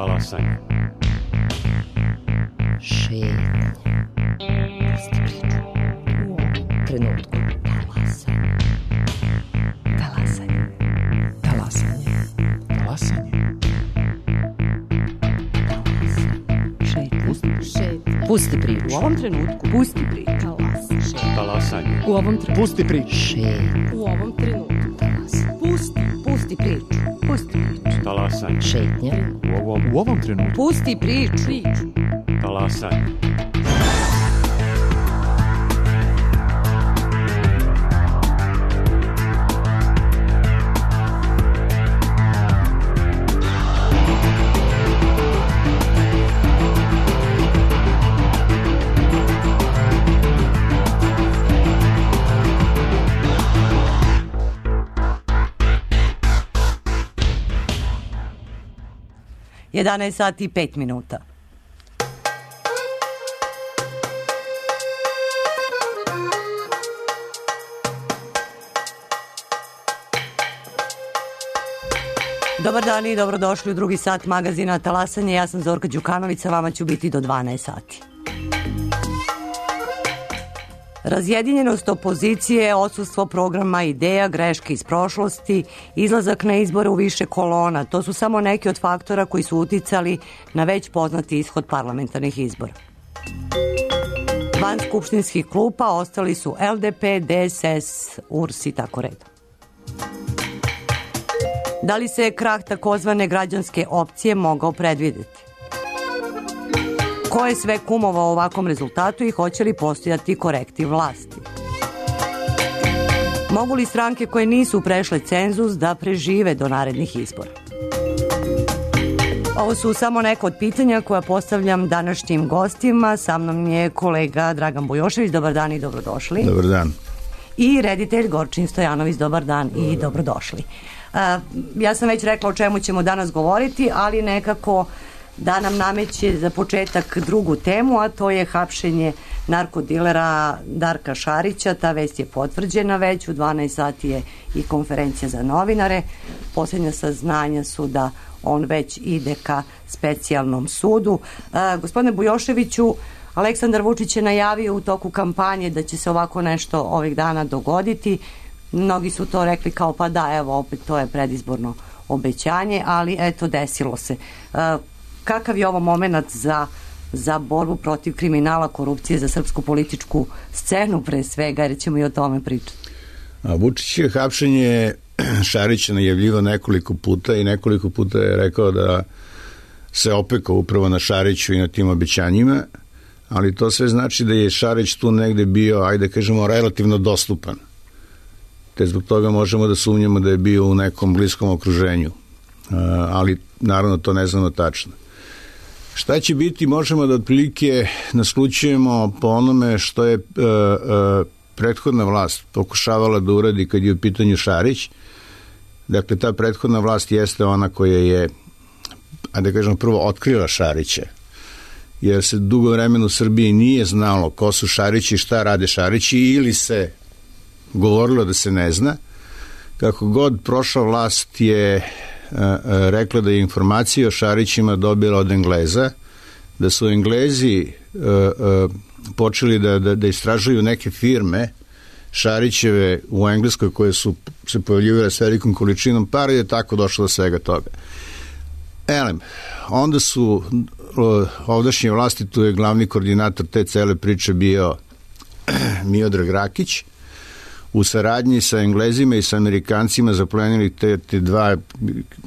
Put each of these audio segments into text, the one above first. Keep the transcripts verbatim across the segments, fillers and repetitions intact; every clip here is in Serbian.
Talasanje. Šetnje. Pusti priču. U ovom trenutku. Talasanje. Talasanje. Talasanje. Talasanje. Šetnje. Pusti priču. U ovom trenutku. Pusti priču. Talasanje. U ovom trenutku. Pusti priču. Šetnje. U ovom trenutku. Talasanje. Pusti. Pusti priču. Pusti priču. Talasanje. Šetnje. U ovom, U ovom trenutku. Pusti priču. Priču. talasanje. jedanaest sati i pet minuta. Dobar dan i dobrodošli u drugi sat magazina Talasanje. Ja sam Zorka Đukanović, sa vama ću biti do dvanaest sati. Razjedinjenost opozicije, odsustvo programa, ideja, greške iz prošlosti, izlazak na izbore u više kolona, to su samo neki od faktora koji su uticali na već poznati ishod parlamentarnih izbora. Van skupštinskih klupa ostali su L D P, D S S, U R S i tako redom. Da li se krah takozvane građanske opcije mogao predvideti? Ko je sve kumovao ovakvom rezultatu i hoće li postojati korektiv vlasti? Mogu li stranke koje nisu prešle cenzus da prežive do narednih izbora? Ovo su samo neka od pitanja koja postavljam današnjim gostima. Sa mnom je kolega Dragan Bujošević. Dobar dan i dobrodošli. Dobar dan. I reditelj Gorčin Stojanović. Dobar dan i dobar dobrodošli. Uh, ja sam već rekla o čemu ćemo danas govoriti, ali nekako da nam nameće za početak drugu temu, a to je hapšenje narkodilera Darka Šarića. Ta vest je potvrđena već, u dvanaest sati je i konferencija za novinare. Posljednja saznanja su da on već ide ka specijalnom sudu. Uh, gospodine Bujoševiću, Aleksandar Vučić je najavio u toku kampanje da će se ovako nešto ovih dana dogoditi. Mnogi su to rekli kao pa da, evo opet to je predizborno obećanje, ali eto desilo se. Uh, kakav je ovo moment za, za borbu protiv kriminala, korupcije, za srpsku političku scenu pre svega, jer ćemo i o tome pričati? Vučić je hapšenje Šarića najavljivao nekoliko puta i nekoliko puta je rekao da se opekao upravo na Šariću i na tim obećanjima, ali to sve znači da je Šarić tu negde bio, ajde kažemo, relativno dostupan. Te zbog toga možemo da sumnjamo da je bio u nekom bliskom okruženju. Ali naravno to ne znamo tačno. Šta će biti, možemo da otprilike naslučujemo po onome što je uh, uh, prethodna vlast pokušavala da uradi kad je u pitanju Šarić. Dakle, ta prethodna vlast jeste ona koja je, a da kažemo, prvo otkrila Šarića, jer se dugo vremena u Srbiji nije znalo ko su Šarići i šta rade Šarići, ili se govorilo da se ne zna. Kako god, prošla vlast je uh, rekla da je informacije o Šarićima dobila od Engleza, da su Englezi uh, uh, počeli da, da, da istražuju neke firme Šarićeve u Engleskoj koje su se pojavljivale s velikom količinom para i je tako došlo do svega toga. Elem, onda su uh, ovdašnje vlasti, tu je glavni koordinator te cele priče bio Miodrag Rakić, u saradnji sa Englezima i sa Amerikancima zaplenili te, te dva,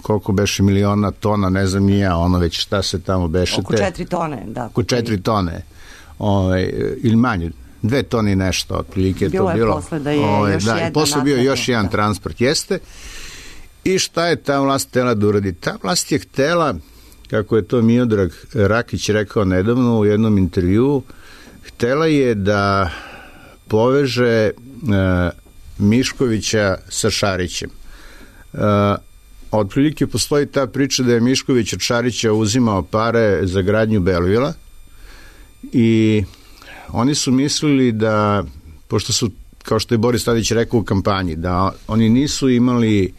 koliko beše miliona tona, ne znam ni ja, ono već šta se tamo beše. Oko četiri tone, da. Oko četiri tone, ovaj, ili manje, dve tone i nešto, otprilike je to bilo. Bilo je posle da je ovaj, još da, jedna. I posle bio još jedan transport, jeste. I šta je ta vlast htela da uradi? Ta vlast je htela, kako je to Miodrag Rakić rekao nedavno u jednom intervjuu, htela je da poveže uh, Miškovića sa Šarićem. Uh, otprilike postoji ta priča da je Mišković od Šarića uzimao pare za gradnju Belvila i oni su mislili da, pošto su, kao što je Boris Tadić rekao u kampanji, da oni nisu imali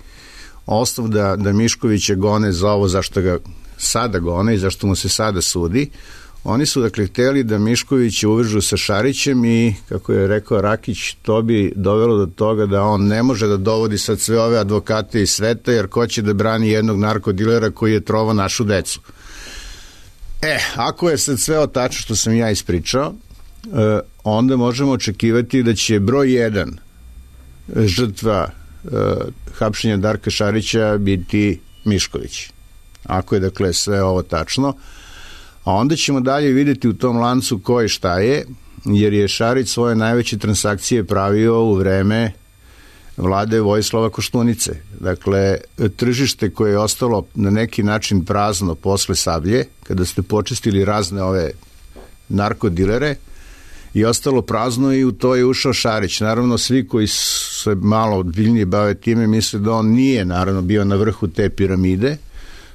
osnov da, da Miškovića gone za ovo zašto ga sada gone i zašto mu se sada sudi. Oni su dakle hteli da Miškovića uvežu sa Šarićem i, kako je rekao Rakić, to bi dovelo do toga da on ne može da dovodi sad sve ove advokate iz sveta, jer ko će da brani jednog narkodilera koji je trovao našu decu. E, ako je sad sve o tačno što sam ja ispričao, e, onda možemo očekivati da će broj jedan žrtva e, hapšenja Darka Šarića biti Mišković. Ako je dakle sve ovo tačno, a onda ćemo dalje videti u tom lancu ko i šta je, jer je Šarić svoje najveće transakcije pravio u vreme vlade Vojislava Koštunice. Dakle, tržište koje je ostalo na neki način prazno posle Sablje, kada ste počistili razne ove narkodilere, i ostalo prazno i u to je ušao Šarić. Naravno, svi koji se malo odbiljnije bave time misle da on nije naravno bio na vrhu te piramide.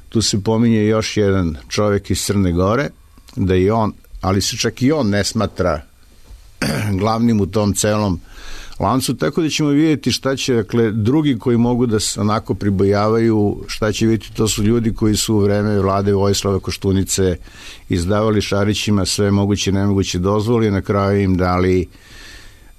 Tu se pominje još jedan čovjek iz Crne Gore, da je on, ali se čak i on ne smatra glavnim u tom celom lancu, tako da ćemo vidjeti šta će, dakle, drugi koji mogu da se onako pribojavaju, šta će vidjeti, to su ljudi koji su u vreme vlade Vojislava Koštunice izdavali Šarićima sve moguće i nemoguće dozvoli, na kraju im dali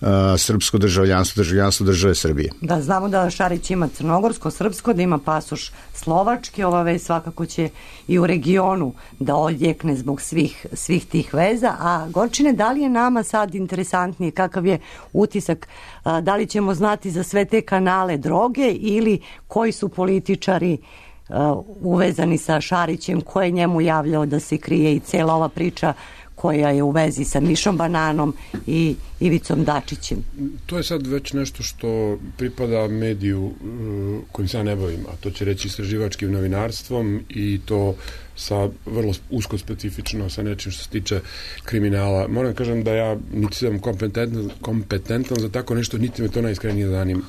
uh, srpsko državljanstvo, državljanstvo države Srbije. Da, znamo da Šarić ima crnogorsko, srpsko, da ima pasoš slovački, ova vez svakako će i u regionu da odjekne zbog svih, svih tih veza. A Gorčine, da li je nama sad interesantnije, kakav je utisak, a, da li ćemo znati za sve te kanale droge ili koji su političari a, uvezani sa Šarićem, ko je njemu javljao da se krije i cela ova priča koja je u vezi sa Mišom Bananom i Ivicom Dačićem? To je sad već nešto što pripada mediju kojim se ja ne bavim, a to će reći istraživačkim novinarstvom, i to sa vrlo usko specifično sa nečim što se tiče kriminala. Moram da kažem da ja niti sam kompetentan, kompetentan za tako nešto, niti me to najiskrenije zanima.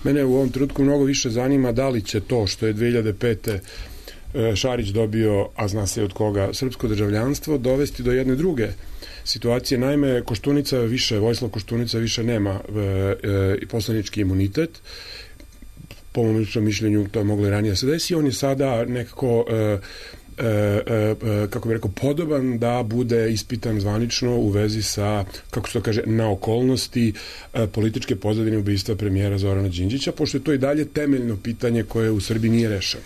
Mene u ovom trenutku mnogo više zanima da li će to što je dve hiljade pete Šarić dobio, a zna se od koga, srpsko državljanstvo, dovesti do jedne druge situacije. Naime, Koštunica više, Vojislav Koštunica više nema e, e, poslanički imunitet. Po mom ličnom mišljenju to je moglo i ranije se desi. On je sada nekako e, e, e, kako bih rekao, podoban da bude ispitan zvanično u vezi sa, kako se to kaže, na okolnosti e, političke pozadine ubistva premijera Zorana Đinđića, pošto je to i dalje temeljno pitanje koje u Srbiji nije rešeno.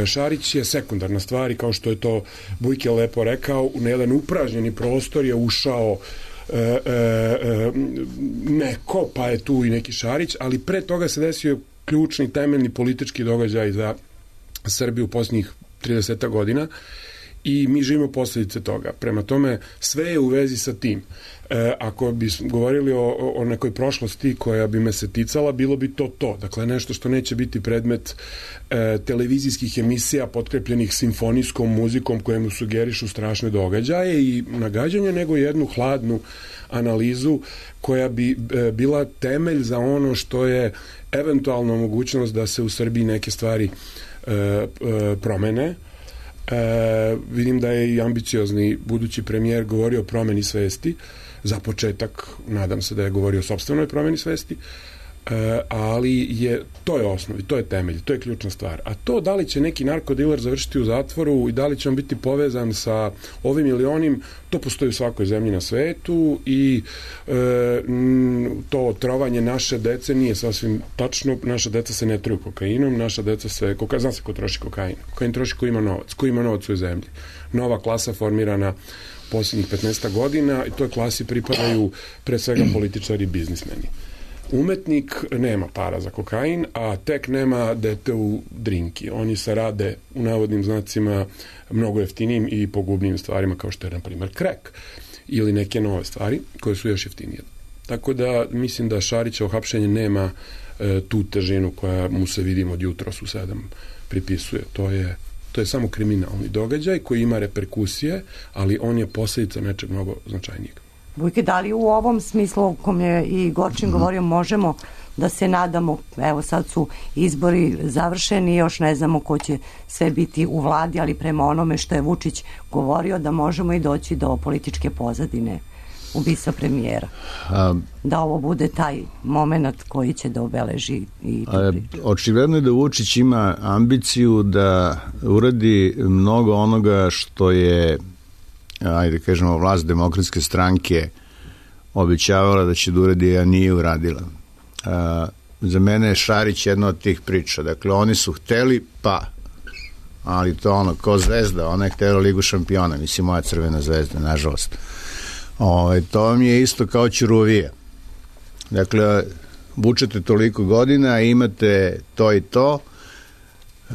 Šarić je sekundarna stvar i kao što je to Bujke lepo rekao, na jedan upražnjeni prostor je ušao e, e, e, neko, pa je tu i neki Šarić, ali pre toga se desio ključni, temeljni politički događaj za Srbiju u posljednjih trideset godina i mi živimo posljedice toga. Prema tome, sve je u vezi sa tim. E, ako bi govorili o, o nekoj prošlosti koja bi me se ticala, bilo bi to to. Dakle, nešto što neće biti predmet e, televizijskih emisija potkrepljenih simfonijskom muzikom kojemu sugerišu strašne događaje i nagađanje, nego jednu hladnu analizu koja bi e, bila temelj za ono što je eventualno mogućnost da se u Srbiji neke stvari e, e, promene. E, vidim da je i ambiciozni budući premijer govorio o promeni svesti. Za početak, nadam se da je govorio o sopstvenoj promeni svesti, e, ali je, to je osnov i to je temelj, to je ključna stvar. A to da li će neki narkodiler završiti u zatvoru i da li će on biti povezan sa ovim ili onim, to postoji u svakoj zemlji na svetu i e, to trovanje naše dece nije sasvim tačno. Naša deca se ne truju kokainom, naša deca se, koka, zna se ko troši kokain. Kokain troši ko ima novac, ko ima novac u zemlji. Nova klasa formirana posljednjih petnaest godina i toj klasi pripadaju pre svega političari i biznismeni. Umetnik nema para za kokain, a tek nema dete u drinki. Oni se rade u navodnim znacima mnogo jeftinijim i pogubnijim stvarima kao što je, na primjer, krek ili neke nove stvari koje su još jeftinije. Tako da mislim da Šarićevo hapšenje nema e, tu težinu koja mu se vidimo od jutros u sedam pripisuje. To je To je samo kriminalni događaj koji ima reperkusije, ali on je posljedica nečeg mnogo značajnijeg. Bujke, da li u ovom smislu o kom je i Gorčin govorio možemo da se nadamo, evo sad su izbori završeni, još ne znamo ko će sve biti u vladi, ali prema onome što je Vučić govorio da možemo i doći do političke pozadine ubistva premijera? A, da ovo bude taj moment koji će da obeleži i a, očigledno je da Vučić ima ambiciju da uradi mnogo onoga što je, ajde kažemo, vlast Demokratske stranke obećavala da će da uradi, a nije uradila. A, za mene je Šarić jedna od tih priča. Dakle, oni su hteli, pa, ali to ono, ko Zvezda, ona je htela Ligu šampiona, mislim, moja Crvena zvezda, nažalost. O, to vam je isto kao Ćuruvija. Dakle, vučete toliko godina, imate to i to. E,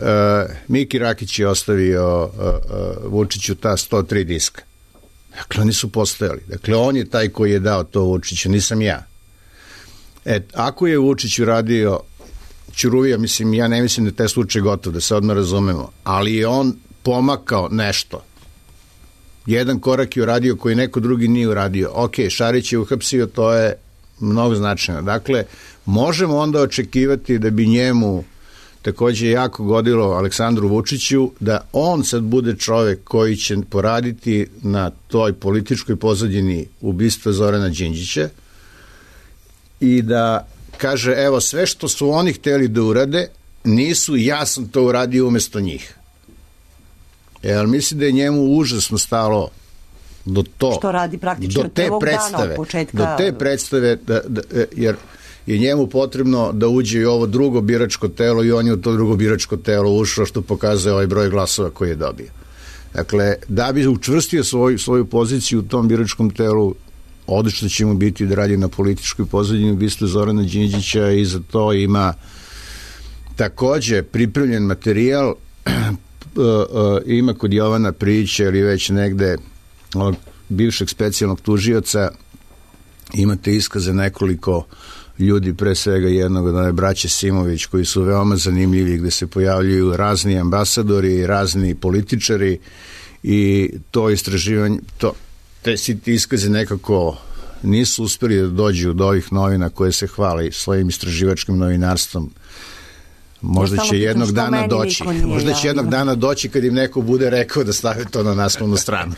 Miki Rakić je ostavio e, e, Vučiću ta sto tri diska. Dakle, oni su postojali. Dakle, on je taj koji je dao to Vučiću, nisam ja. E, ako je Vučić uradio Ćuruvija, mislim, ja ne mislim da je taj slučaj gotov, da se odmah razumemo, ali je on pomakao nešto. Jedan korak je uradio koji neko drugi nije uradio. Ok, Šarić je uhapsio, to je mnogo značajno. Dakle, možemo onda očekivati da bi njemu takođe jako godilo Aleksandru Vučiću da on sad bude čovek koji će poraditi na toj političkoj pozadini ubistva Zorana Đinđića i da kaže, evo, sve što su oni hteli da urade, nisu, ja sam to uradio umesto njih. Jer mislim da je njemu užasno stalo do to. Što radi praktično do te predstave, od početka. Do te predstave, da, da, jer je njemu potrebno da uđe i ovo drugo biračko telo i on je u to drugo biračko telo ušao, što pokazuje ovaj broj glasova koji je dobio. Dakle, da bi učvrstio svoju, svoju poziciju u tom biračkom telu, odlično će mu biti da radi na političkoj pozadini ubistva Zorana Đinđića i za to ima takođe pripremljen materijal. Ima kod Jovana Prijića ili već negde ovog bivšeg specijalnog tužioca, imate iskaze nekoliko ljudi, pre svega jednog od ove braće Simović, koji su veoma zanimljivi, gde se pojavljuju razni ambasadori, razni političari i to istraživanje, to, te si ti iskaze nekako nisu uspeli da dođu do ovih novina koje se hvali svojim istraživačkim novinarstvom. Možda će jednog dana doći. Možda će jednog dana doći kad im neko bude rekao da stave to na naslovnu stranu.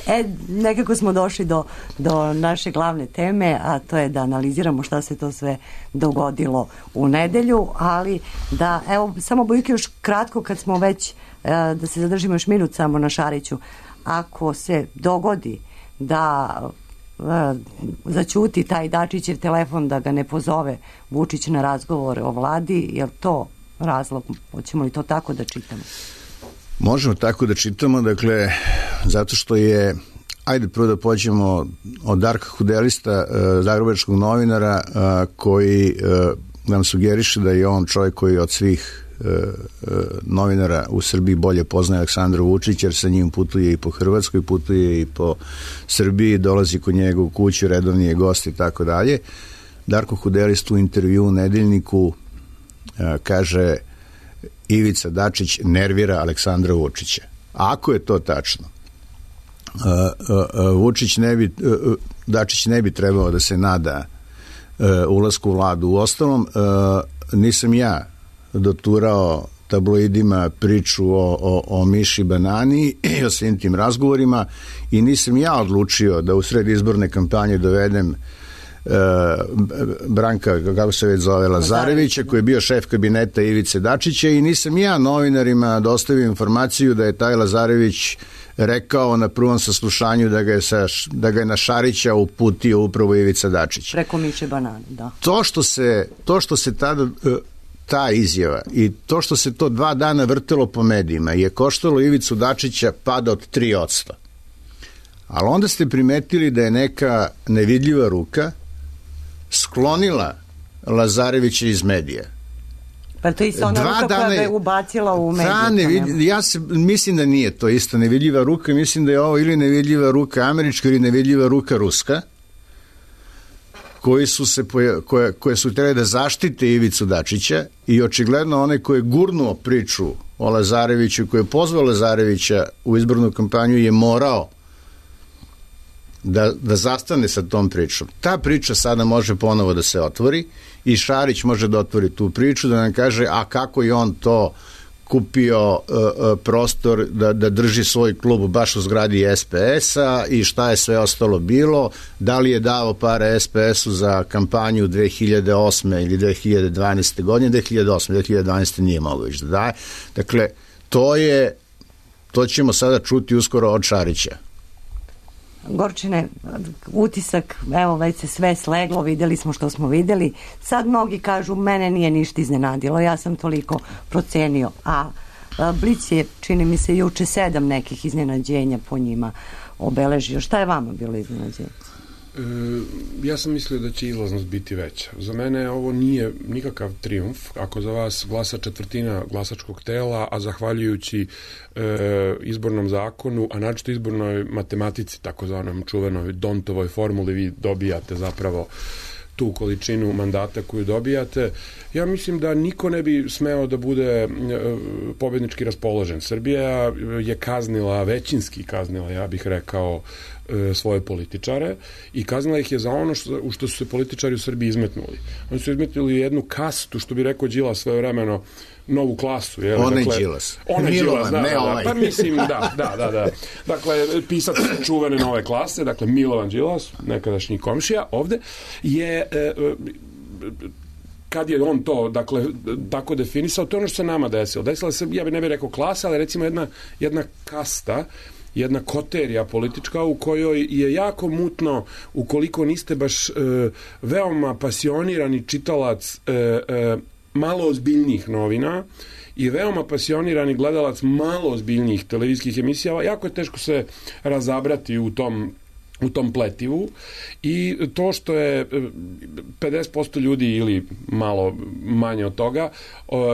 E, nekako smo došli do, do naše glavne teme, a to je da analiziramo šta se to sve dogodilo u nedelju, ali da, evo, samo Bojke još kratko kad smo već, da se zadržimo još minut samo na Šariću. Ako se dogodi da zaćuti taj Dačićev telefon, da ga ne pozove Vučić na razgovore o vladi, je li to razlog? Hoćemo li to tako da čitamo? Možemo tako da čitamo, dakle, zato što je, ajde prvo da pođemo od Darka Hudelista, zagrebačkog novinara, koji nam sugeriše da je on čovjek koji od svih novinara u Srbiji bolje poznaje Aleksandra Vučića, jer sa njim putuje i po Hrvatskoj, putuje i po Srbiji, dolazi kod njega u kuću, redovni je gost i tako dalje. Darko Hudelist u intervju u Nedeljniku kaže: Ivica Dačić nervira Aleksandra Vučića. Ako je to tačno, Vučić ne bi, Dačić ne bi trebao da se nada ulasku u vladu. U ostalom, nisam ja doturao tabloidima priču o, o, o Miši Banani i o svim tim razgovorima i nisam ja odlučio da u sred izborne kampanje dovedem e, Branka, kako se već zove, Lazarevića, koji je bio šef kabineta Ivice Dačića, i nisam ja novinarima dostavio informaciju da je taj Lazarević rekao na prvom saslušanju da ga je, sa, da ga je na Šarića uputio upravo Ivica Dačić. Preko Miše Banane, da. To što se, to što se tada... ta izjava i to što se to dva dana vrtelo po medijima je koštalo Ivicu Dačića pada od tri posto. Ali onda ste primetili da je neka nevidljiva ruka sklonila Lazarevića iz medija. Pa to je isto ona ruka koja je ubacila u medije. Nevidljiva, ja se, mislim da nije to isto nevidljiva ruka, mislim da je ovo ili nevidljiva ruka američka ili nevidljiva ruka ruska, koji su se koje, koje su htjeli da zaštite Ivicu Dačića, i očigledno onaj koji je gurnuo priču o Lazareviću, koji je pozvao Lazarevića u izbornu kampanju, je morao da, da zastane sa tom pričom. Ta priča sada može ponovo da se otvori i Šarić može da otvori tu priču, da nam kaže a kako je on to kupio uh, prostor da, da drži svoj klub baš u zgradi S P S-a i šta je sve ostalo bilo, da li je dao pare S P S-u za kampanju dve hiljade osme ili dve hiljade dvanaeste godine, dve hiljade osme, dve hiljade dvanaeste nije mogao više da daje. Dakle, to je, to ćemo sada čuti uskoro od Šarića. Gorčine, utisak, evo već se sve sleglo, videli smo što smo videli. Sad mnogi kažu, mene nije ništa iznenadilo, ja sam toliko procenio. A, a Blic je, čini mi se, juče sedam nekih iznenađenja po njima obeležio. Šta je vama bilo iznenađenje? E, ja sam mislio da će izlaznost biti veća. Za mene ovo nije nikakav trijumf. Ako za vas glasa četvrtina glasačkog tela, a zahvaljujući e, izbornom zakonu, a naročito izbornoj matematici, takozvanom čuvenoj Dontovoj formuli, vi dobijate zapravo tu količinu mandata koju dobijate. Ja mislim da niko ne bi smeo da bude e, pobednički raspoložen. Srbija je kaznila, većinski kaznila, ja bih rekao, e, svoje političare i kaznila ih je za ono što, u što su se političari u Srbiji izmetnuli. Oni su izmetnuli jednu kastu, što bi rekao Đilas svojevremeno, novu klasu. Je, Onaj dakle, Đilas. Onaj Đilas, da, ne da, ovaj. da. Pa mislim, da, da, da, da. Dakle, pisac čuvene nove klase, dakle, Milovan Đilas, nekadašnji komšija, ovde, je... E, kad je on to, dakle, tako definisao, to je ono što se nama desilo. Desila se, ja bi ne bih rekao klasa, ali recimo jedna, jedna kasta, jedna koterija politička u kojoj je jako mutno, ukoliko niste baš e, veoma pasionirani čitalac e, e, malo ozbiljnijih novina i veoma pasionirani gledalac malo ozbiljnijih televizijskih emisija, jako je teško se razabrati u tom u tom pletivu i to što je pedeset posto ljudi ili malo manje od toga,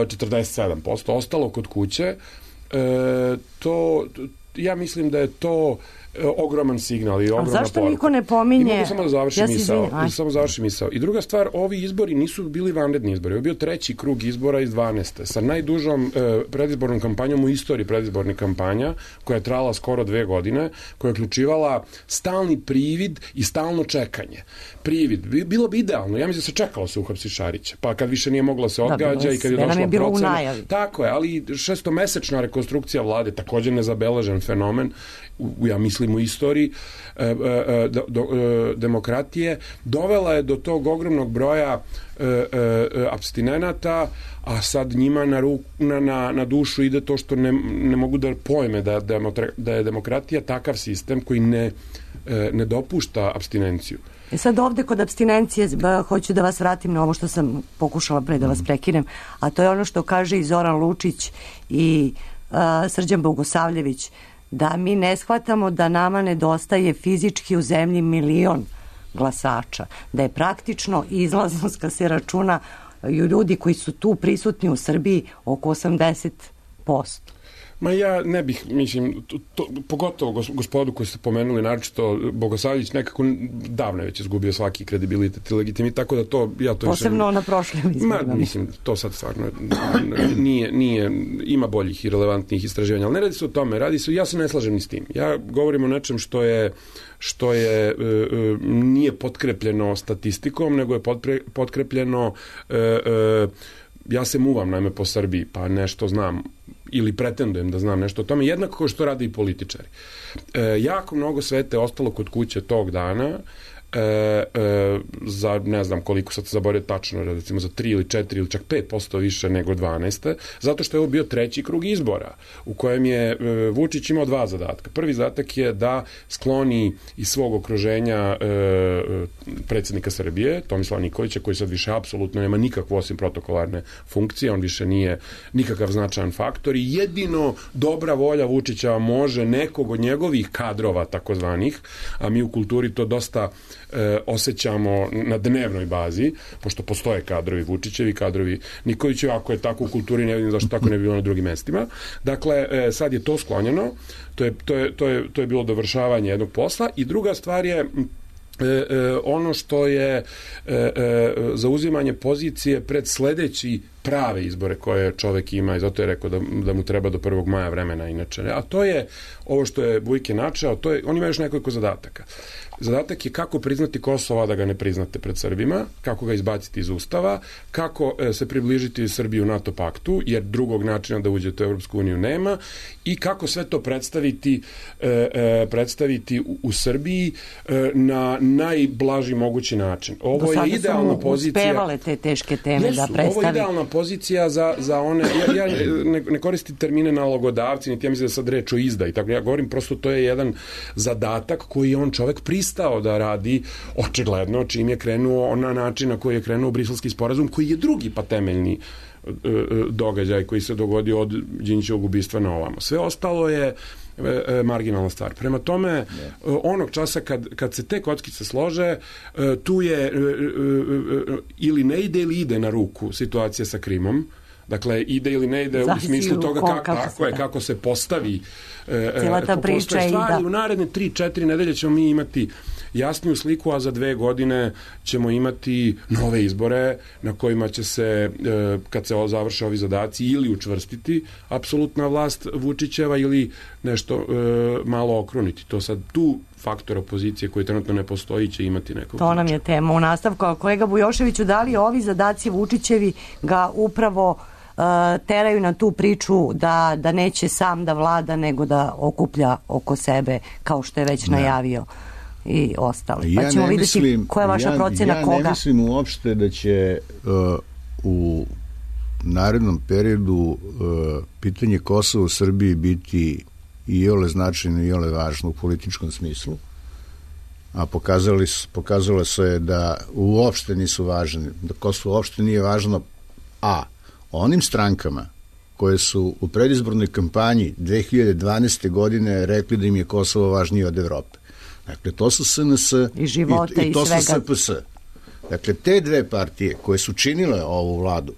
četrdeset sedam posto ostalo kod kuće, to, ja mislim da je to ogroman signal i ogromna poruka. A zašto niko ne pominje? I mogu samo da završim ja misao. Samo završim misao. I druga stvar, ovi izbori nisu bili vanredni izbori. Ovo je bio treći krug izbora iz dvanaeste sa najdužom eh, predizbornom kampanjom u istoriji predizbornih kampanja, koja je trajala skoro dve godine, koja je uključivala stalni privid i stalno čekanje. Privid. Bilo bi idealno. Ja mislim da se čekalo se uhapsi Šarića. Pa kad više nije mogla se odgađa i kad je došla je procena. Tako je, ali šestomesečna rekonstrukcija vlade, također nezabeležen fenomen, u, ja mislim u istoriji e, e, do, do, e, demokratije, dovela je do tog ogromnog broja e, e, apstinenata, a sad njima na, ruk, na, na, na dušu ide to što ne, ne mogu da pojme da, da je demokratija takav sistem koji ne, e, ne dopušta apstinenciju. E sad ovde kod apstinencije ba, hoću da vas vratim na ovo što sam pokušala pre da vas prekinem, a to je ono što kaže i Zoran Lučić i a, Srđan Bogosavljević, da mi ne shvatamo da nama nedostaje fizički u zemlji milion glasača, da je praktično izlaznost kad se računa ljudi koji su tu prisutni u Srbiji oko osamdeset posto. Ma ja ne bih, mislim, to, to, pogotovo gospodu koji ste pomenuli, naročito Bogosavljević nekako davno je već izgubio svaki kredibilitet i legitimitet, tako da to, ja to posebno više... na prošlim izborima. Ma, mislim, to sad stvarno nije, nije, ima boljih i relevantnih istraživanja, ali ne radi se o tome, radi se, ja se ne slažem ni s tim. Ja govorim o nečem što je što je, e, e, nije potkrepljeno statistikom, nego je potkre, potkrepljeno e, e, ja se muvam naime po Srbiji, pa nešto znam ili pretendujem da znam nešto o tome, jednako kao što rade i političari. E, jako mnogo svete ostalo kod kuće tog dana, e, e, za ne znam koliko sad se zaboravio tačno, recimo za tri ili četiri ili čak pet posto više nego dvanaeste, zato što je ovo bio treći krug izbora u kojem je e, Vučić imao dva zadatka. Prvi zadatak je da skloni iz svog okruženja e, predsjednika Srbije, Tomislava Nikolića, koji sad više apsolutno nema nikakvu osim protokolarne funkcije, on više nije nikakav značajan faktor i jedino dobra volja Vučića može nekog od njegovih kadrova takozvanih, a mi u kulturi to dosta e, osjećamo na dnevnoj bazi, pošto postoje kadrovi Vučićevi, kadrovi Nikolićevi, ako je tako u kulturi ne vidim zašto tako ne bi bilo na drugim mestima. Dakle, e, sad je to sklonjeno, to je, to je, to je, to je bilo dovršavanje jednog posla i druga stvar je E, e, ono što je e, e, zauzimanje pozicije pred sledeći prave izbore koje čovek ima i zato je rekao da, da mu treba do prvog maja vremena inače. A to je ovo što je Vujke načeo, to je, on ima još nekoliko zadataka. Zadatak je kako priznati Kosovo, da ga ne priznate pred Srbima, kako ga izbaciti iz Ustava, kako e, se približiti Srbiju NATO paktu, jer drugog načina da uđete u Europsku uniju nema, i kako sve to predstaviti, e, e, predstaviti u, u Srbiji e, na najblaži mogući način. Ovo je idealna pozicija. Do sada su uspevale te teške teme jesu, da predstavi. Ovo je idealna pozicija za, za one, ja, ja ne, ne koristim termine nalogodavci, niti ja mislim da sad reč o izda i tako, ja govorim prosto to je jedan zadatak koji je on čovek pristao da radi, očigledno, čim je krenuo na način na koji je krenuo Briselski sporazum, koji je drugi pa temeljni događaj koji se dogodio od Đinđićevog ubistva na ovamo. Sve ostalo je marginalna stvar. Prema tome, onog časa kad, kad se te kockice slože, tu je ili ne ide ili ide na ruku situacija sa Krimom. Dakle, ide ili ne ide u smislu toga kako, kako, je, kako se postavi cijela ta priča i da. U naredne tri četiri nedelje ćemo mi imati jasniju sliku, a za dve godine ćemo imati nove izbore na kojima će se, kad se završe ovi zadaci, ili učvrstiti apsolutna vlast Vučićeva ili nešto malo okruniti. To sad tu faktor opozicije koji trenutno ne postoji će imati nekog. To nam je tema u nastavku. Kolega Bujoševiću, da li ovi zadaci Vučićevi ga upravo uh, teraju na tu priču da, da neće sam da vlada, nego da okuplja oko sebe, kao što je već ne. najavio i ostali. Pa ja ćemo vidjeti mislim, koja je vaša ja, procena ja koga. Ja ne mislim uopšte da će uh, u narednom periodu uh, pitanje Kosova u Srbiji biti i ole značajno i ole važno u političkom smislu, a pokazali, pokazalo se je da uopšte nisu važni, da Kosovo uopšte nije važno, a onim strankama koje su u predizbornoj kampanji dve hiljade dvanaeste. godine rekli da im je Kosovo važnije od Evrope. Dakle, to su S N S i, života i, i to i su S P S. Dakle, te dve partije koje su činile ovu vladu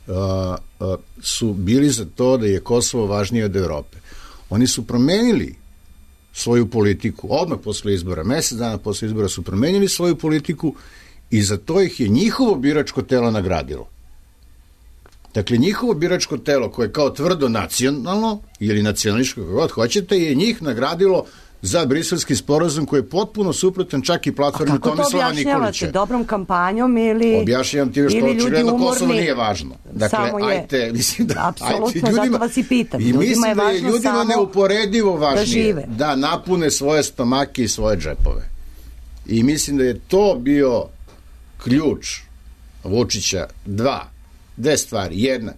uh, uh, su bili za to da je Kosovo važnije od Evrope. Oni su promenili svoju politiku odmah posle izbora, mesec dana posle izbora su promenili svoju politiku i za to ih je njihovo biračko telo nagradilo. Dakle, njihovo biračko telo koje je kao tvrdo nacionalno ili nacionalističko, kako god hoćete, je njih nagradilo za Briselski sporazum koji je potpuno suprotan čak i platformi Tomislava Nikolića. A kako to objašnjavate? Dobrom kampanjom ili objašnjavam ti što očigledno Kosovo nije važno. Dakle, ajte, mislim da... Apsolutno, ajte, ljudima, zato vas i pitam. I mislim da je ljudima neuporedivo važnije da, da napune svoje stomake i svoje džepove. I mislim da je to bio ključ Vučića. Dva. Dve stvari. Jedna,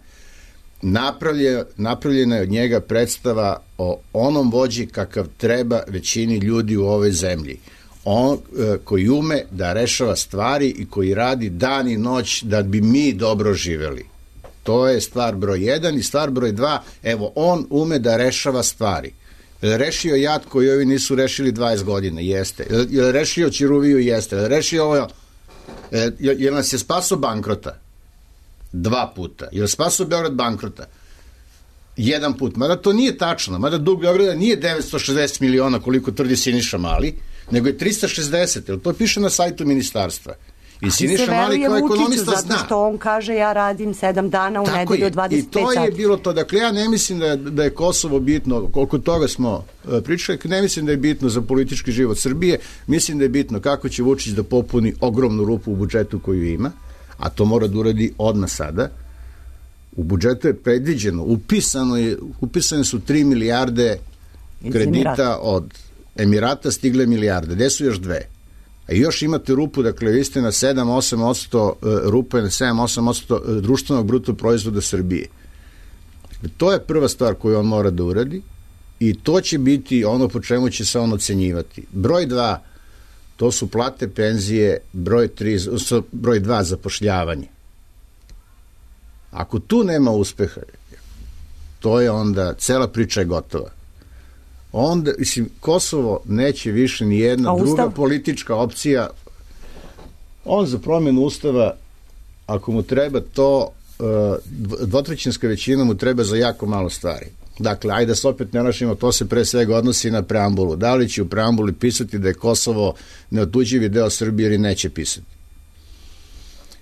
napravlje, napravljena je od njega predstava o onom vođi kakav treba većini ljudi u ovoj zemlji. On e, koji ume da rešava stvari i koji radi dan i noć da bi mi dobro živeli. To je stvar broj jedan i stvar broj dva, evo, on ume da rešava stvari. Je rešio jad koji ovi nisu rešili dvadeset godina? Jeste. Je rešio Ćiruviju? Jeste. Je rešio ovo? Je, je nas je spaso bankrota? Dva puta. Je li spasao Beograd bankrota? Jedan put. Mada to nije tačno. Mada dug Beograda nije devetsto šezdeset miliona koliko tvrdi Siniša Mali, nego je trista šezdeset. Jer to piše na sajtu ministarstva. I Siniša Mali kao ekonomista zna. Zato što on kaže ja radim sedam dana u nedelju dvadeset pet sati. I to je bilo to. Dakle, ja ne mislim da je, da je Kosovo bitno, koliko toga smo uh, pričali, ne mislim da je bitno za politički život Srbije, mislim da je bitno kako će Vučić da popuni ogromnu rupu u budžetu koju ima, a to mora da uradi odmah sada. U budžetu je predviđeno, upisano je, upisane su tri milijarde kredita od Emirata, stigle milijarde. Gde su još dve? A još imate rupu, dakle, vi ste na sedam do osam posto rupe, na sedam do osam posto društvenog bruto proizvoda Srbije. To je prva stvar koju on mora da uradi i to će biti ono po čemu će se on ocenjivati. Broj dva, to su plate, penzije, broj tri, broj dva, zapošljavanje. Ako tu nema uspeha, to je onda, cela priča je gotova. Onda, mislim, Kosovo neće više ni jedna druga politička opcija. On za promjenu ustava, ako mu treba to, dvotrećinska većina mu treba za jako malo stvari. Dakle, ajde da se opet ne našimo, to se pre svega odnosi na preambulu. Da li će u preambuli pisati da je Kosovo neotuđivi deo Srbije ili neće pisati?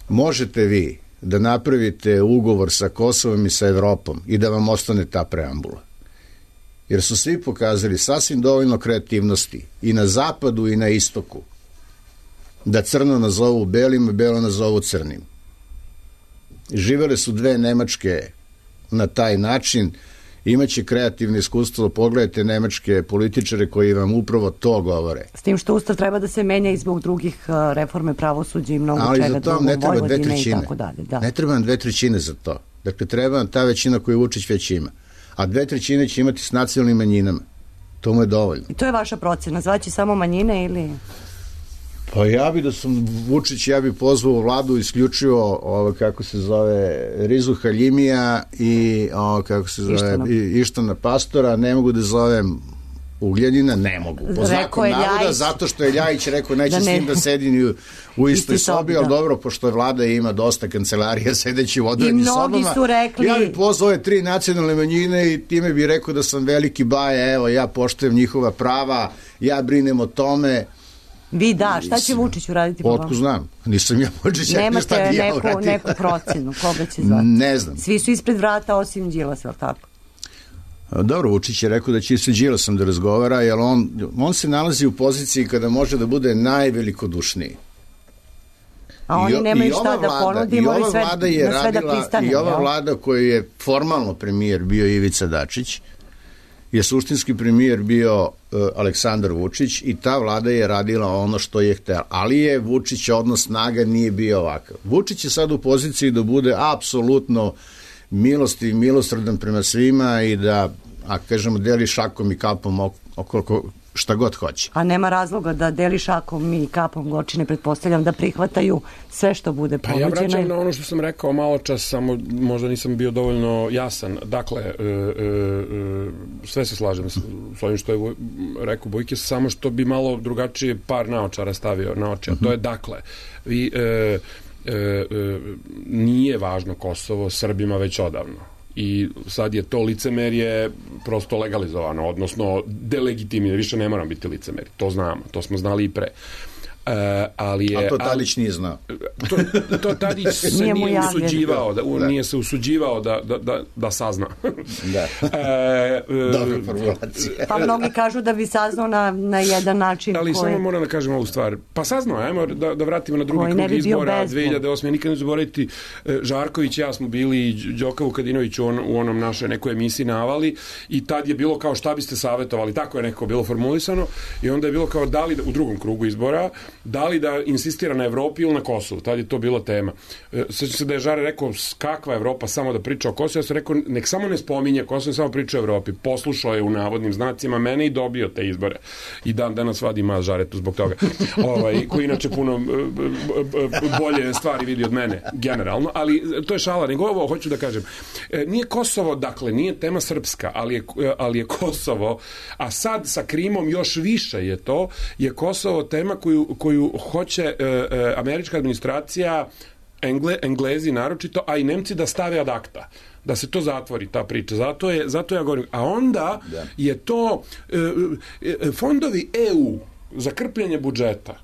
Možete vi da napravite ugovor sa Kosovom i sa Evropom i da vam ostane ta preambula. Jer su svi pokazali sasvim dovoljno kreativnosti i na zapadu i na istoku da crno nazovu belim, belo nazovu crnim. Živele su dve Nemačke na taj način, imaće kreativno iskustvo, pogledajte nemačke političare koji vam upravo to govore. S tim što Ustav treba da se menja i zbog drugih reforme pravosuđa i mnogo ali čega drugog, ne treba dve Vojvodine i trećine. tako dalje. Da. Ne treba nam dve trećine za to. Dakle, treba nam ta većina koju Vučić već ima. A dve trećine će imati s nacionalnim manjinama. To mu je dovoljno. I to je vaša procena, zvaći samo manjine ili... Pa ja bi da sam Vučić, ja bi pozvao vladu isključivo ovo, kako se zove, Rizu Haljimija i ovo, kako se zove, Ištana, Ištana Pastora, ne mogu da zovem Ugljanina, ne mogu. Po znaku navoda, Ljajić, zato što je Ljajić rekao neće da ne, s njim da sedi u, u istoj isti sobi, ali dobro, pošto je vlada ima dosta kancelarija sedeći u odvojenim sobama. Su rekli... Ja bi pozvao ove tri nacionalne manjine i time bi rekao da sam veliki baja, evo, ja poštujem njihova prava, ja brinem o tome. Vi da, šta će Vučić uraditi po vama? Otko znam, nisam ja Vučić, ja nemate šta bi ja neku, uradio. neku procenu, koga će zvati? Ne znam. Svi su ispred vrata osim Đilasa, ali tako? Dobro, Vučić je rekao da će se Đilasom da razgovara, jer on, on se nalazi u poziciji kada može da bude najvelikodušniji. A oni I, nemaju i šta da ponudimo i, i sve, je na sve radila, da pristane. I ova jel? vlada koji je formalno premijer bio Ivica Dačić, je suštinski premijer bio uh, Aleksandar Vučić i ta vlada je radila ono što je htela. Ali je Vučić odnos snaga nije bio ovakav. Vučić je sad u poziciji da bude apsolutno milosti i milosrdan prema svima i da, a kažemo, deli šakom i kapom oko šta god hoće. A nema razloga da deli šakom i kapom Gorčine, pretpostavljam da prihvataju sve što bude ponuđeno. Pa ja vraćam na ono što sam rekao malo čas, samo možda nisam bio dovoljno jasan. Dakle, e, e, e, sve se slažem s, s ovim što je rekao Bojke, samo što bi malo drugačije par naočara stavio na oči. A to je dakle, vi, e, e, e, nije važno Kosovo Srbima već odavno. I sad je to licemerje prosto legalizovano, odnosno delegitimno, više ne moram biti licemeri, to znamo, to smo znali i pre. Uh, ali je, a to Tadić nije znao. To, to Tadić se nije, nije usuđivao, da, da. nije se usuđivao da, da, da, da sazna. Da. e, Dobra formulacija. Pa mnogi kažu da bi saznao na, na jedan način. Ali koji... samo moram da kažem ovu stvar. Pa saznao, ajmo da, da vratimo na drugi krug izbora dve hiljade osme. Nikad ne zaboraviti, Žarković i ja smo bili i Đoka Vukadinović u, on, u onom našoj nekoj emisiji Navali i tad je bilo kao šta biste savjetovali, tako je nekako bilo formulisano i onda je bilo kao da li u drugom krugu izbora da li da insistira na Evropi ili na Kosovu. Tad je to bila tema. Sjećam se da je Žare rekao kakva Evropa, samo da priča o Kosovu. Ja sam rekao nek samo ne spominje Kosovo, samo priča o Evropi. Poslušao je u navodnim znacima mene i dobio te izbore. I dan danas vadi ima Žaretu zbog toga. Ovaj, koji inače puno bolje stvari vidi od mene, generalno. Ali to je šala. Nego ovo hoću da kažem. Nije Kosovo, dakle, nije tema srpska, ali je, ali je Kosovo, a sad sa Krimom još više je to, je Kosovo tema koju koju hoće e, e, američka administracija, Engle, Englezi naročito, a i Nemci da stave ad acta, da se to zatvori, ta priča. Zato, je, zato ja govorim. A onda da. je to e, e, fondovi E U za krpljenje budžeta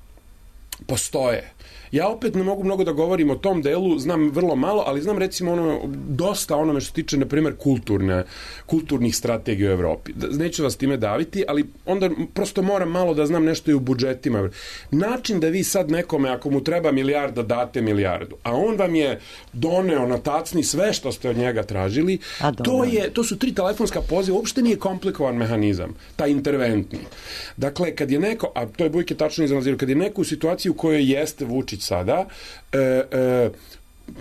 postoje. Ja opet ne mogu mnogo da govorim o tom delu, znam vrlo malo, ali znam recimo ono, dosta onome što se tiče, na primjer, kulturne, kulturnih strategija u Evropi. Neću vas time daviti, ali onda prosto moram malo da znam nešto i u budžetima. Način da vi sad nekome, ako mu treba milijarda, date milijardu, a on vam je doneo na tacni sve što ste od njega tražili, to, je, to su tri telefonska poziva, uopšte nije komplikovan mehanizam, taj interventni. Dakle, kad je neko, a to je Bujke tačno izanalizirao, kad je neko u situaciji u kojoj jeste Vučić sada, e, e,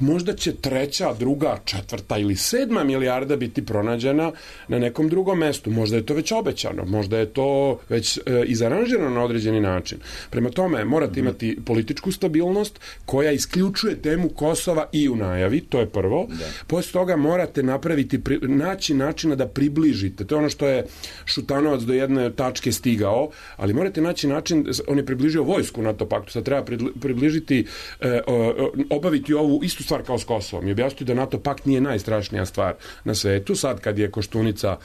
možda će treća, druga, četvrta ili sedma milijarda biti pronađena na nekom drugom mestu. Možda je to već obećano, možda je to već e, izaranžirano na određeni način. Prema tome, morate imati političku stabilnost koja isključuje temu Kosova i u najavi, to je prvo. Da. Posle toga morate napraviti, pri, naći načina da približite. To je ono što je Šutanovac do jedne tačke stigao, ali morate naći način, on je približio vojsku NATO paktu, sad treba približiti, e, obaviti ovu istu stvar kao s Kosovom i objasniti da NATO pakt nije najstrašnija stvar na svetu. Sad kad je Koštunica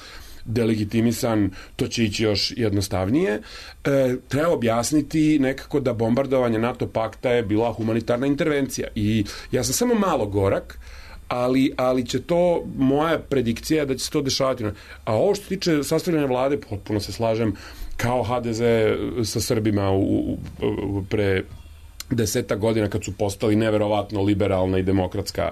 delegitimisan, to će ići još jednostavnije. E, treba objasniti nekako da bombardovanje NATO pakta je bila humanitarna intervencija i ja sam samo malo gorak, ali, ali će to, moja predikcija da će se to dešavati. A ovo što se tiče sastavljanja vlade, potpuno se slažem, kao ha de ze sa Srbima u, u, u, pre deseta godina kad su postali neverovatno liberalna i demokratska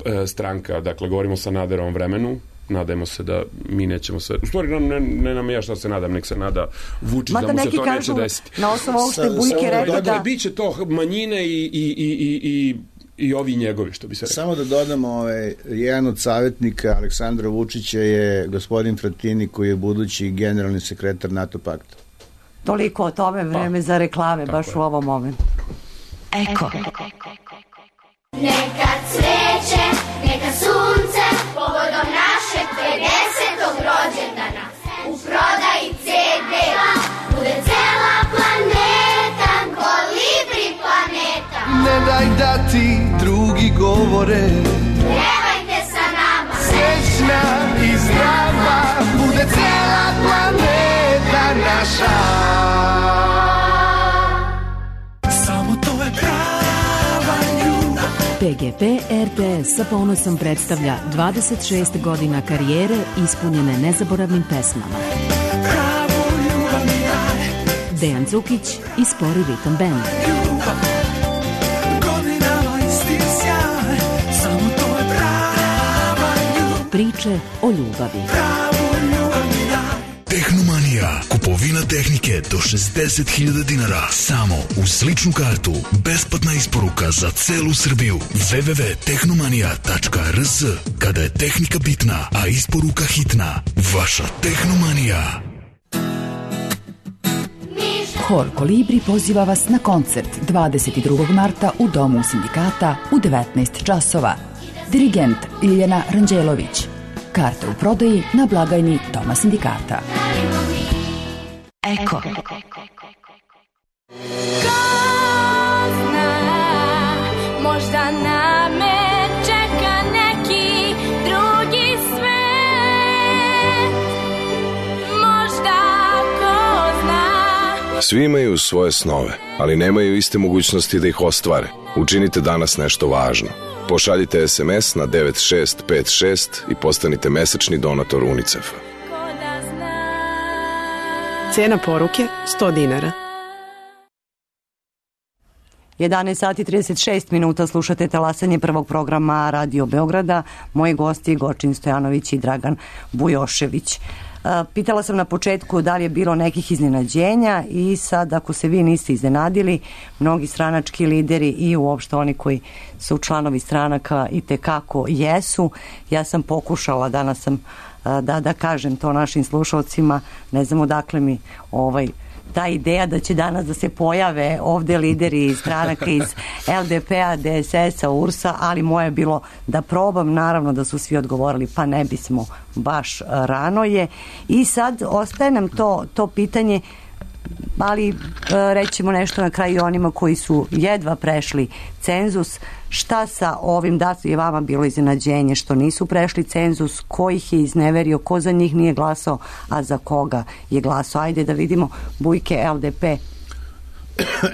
e, stranka, dakle govorimo o Sanaderovom vremenu, nadajmo se da mi nećemo sve, u stvari ne, ne nam ja šta se nadam, nek se nada Vučić da mu se to neće desiti. Na osnovu ovog što je Bujke rekao da... Biće to manjine i, i, i, i, i i ovi njegovi, što bi se rekao. Samo da dodamo, ovaj, jedan od savjetnika Aleksandra Vučića je gospodin Fratini, koji je budući generalni sekretar NATO pakta. Toliko o tome, vreme pa, za reklame, baš je. U ovom momentu. Eko. Neka cveće, neka sunce, povodom našeg pedesetog rođendana, u prodaji ce de, bude cela planeta, Kolibri planeta. Ne daj da ti drugi govore, pevajte sa nama, srećna i zdrava, bude cela planeta naša. Samo to je prava ljubav. pe ge pe er te es sa ponosom predstavlja dvadeset šest godina karijere ispunjene nezaboravnim pesmama. Pravu ljubav mi daj. Dejan Cukić i Spori ritam band. Ljubav, godinama isti sjaj, samo to je prava ljubav. Priče o ljubavi. Pravu ljubav mi daj. Tehnomanija. Kupovina tehnike do šezdeset hiljada dinara. Samo uz ličnu kartu. Besplatna isporuka za celu Srbiju. w w w tačka tehnomanija tačka r s. Kada je tehnika bitna, a isporuka hitna. Vaša Tehnomanija. Hor Kolibri poziva vas na koncert dvadeset drugog marta u Domu sindikata u devetnaest časova. Dirigent Ljiljana Ranđelović. Karte u prodaji na blagajni Doma sindikata. Eko. Ko zna, možda na me čeka neki drugi svet. Možda ko zna. Svi imaju svoje snove, ali nemaju iste mogućnosti da ih ostvare. Učinite danas nešto važno. Pošaljite es em es na devet šest pet šest i postanite mesečni donator UNICEF-a. Cena poruke sto dinara. jedanaest sati i trideset šest minuta, slušate talasanje prvog programa Radio Beograda. Moji gosti Gočin Stojanović i Dragan Bujošević. Pitala sam na početku da li je bilo nekih iznenađenja i sad ako se vi niste iznenadili, mnogi stranački lideri i uopšte oni koji su članovi stranaka i tekako jesu. Ja sam pokušala, danas sam da, da kažem to našim slušalcima, ne znam odakle mi ovaj ta ideja da će danas da se pojave ovde lideri iz stranaka iz el de pe-a, de es es-a, u er s-a, ali moje je bilo da probam, naravno da su svi odgovorili pa ne bismo, baš rano je. I sad ostaje nam to, to pitanje, ali rećemo nešto na kraju onima koji su jedva prešli cenzus. Šta sa ovim, da je vama bilo iznenađenje što nisu prešli cenzus, ko ih je izneverio, ko za njih nije glasao, a za koga je glasao? Ajde da vidimo, Bujke, el de pe.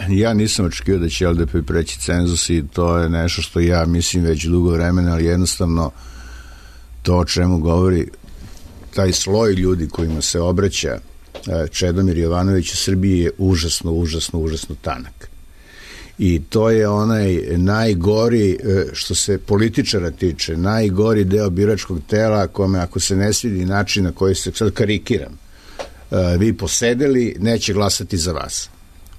Ja nisam očekio da će el de pe preći cenzus i to je nešto što ja mislim već dugo vremena, ali jednostavno to o čemu govori taj sloj ljudi kojima se obraća Čedomir Jovanović u Srbiji je užasno, užasno, užasno tanak. I to je onaj najgori, što se političara tiče, najgori deo biračkog tela kome ako se ne svidi način na koji se, sad karikiram, vi posedeli, neće glasati za vas.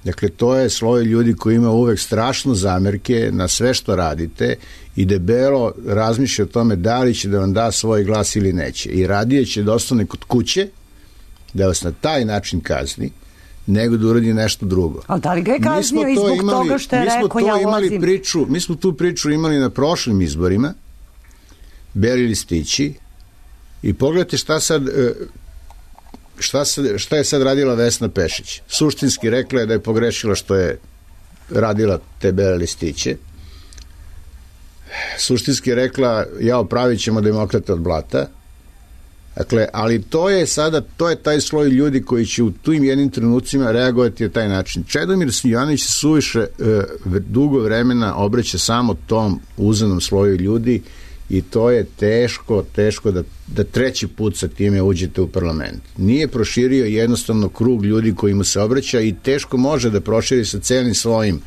Dakle, to je sloj ljudi koji ima uvek strašno zamerke na sve što radite i debelo razmišlja o tome da li će da vam da svoj glas ili neće. I radije će da ostane kod kuće, da vas na taj način kazni, nego da uradi nešto drugo. Ali da li ga je kaznio i zbog imali, toga što je rekao ja ulazim? Priču, mi smo tu priču imali na prošlim izborima, beli listići, i pogledajte šta sad, šta, sad, šta je sad radila Vesna Pešić. Suštinski rekla je da je pogrešila što je radila te bele listiće. Suštinski rekla, ja opravit ćemo demokrate od blata, Dakle, ali to je sada, to je taj sloj ljudi koji će u tim jednim trenucima reagovati na taj način. Čedomir Jovanović se suviše e, dugo vremena obraća samo tom uzanom sloju ljudi i to je teško, teško da, da treći put sa time uđete u parlament. Nije proširio jednostavno krug ljudi koji mu se obraća i teško može da proširi sa celim svojim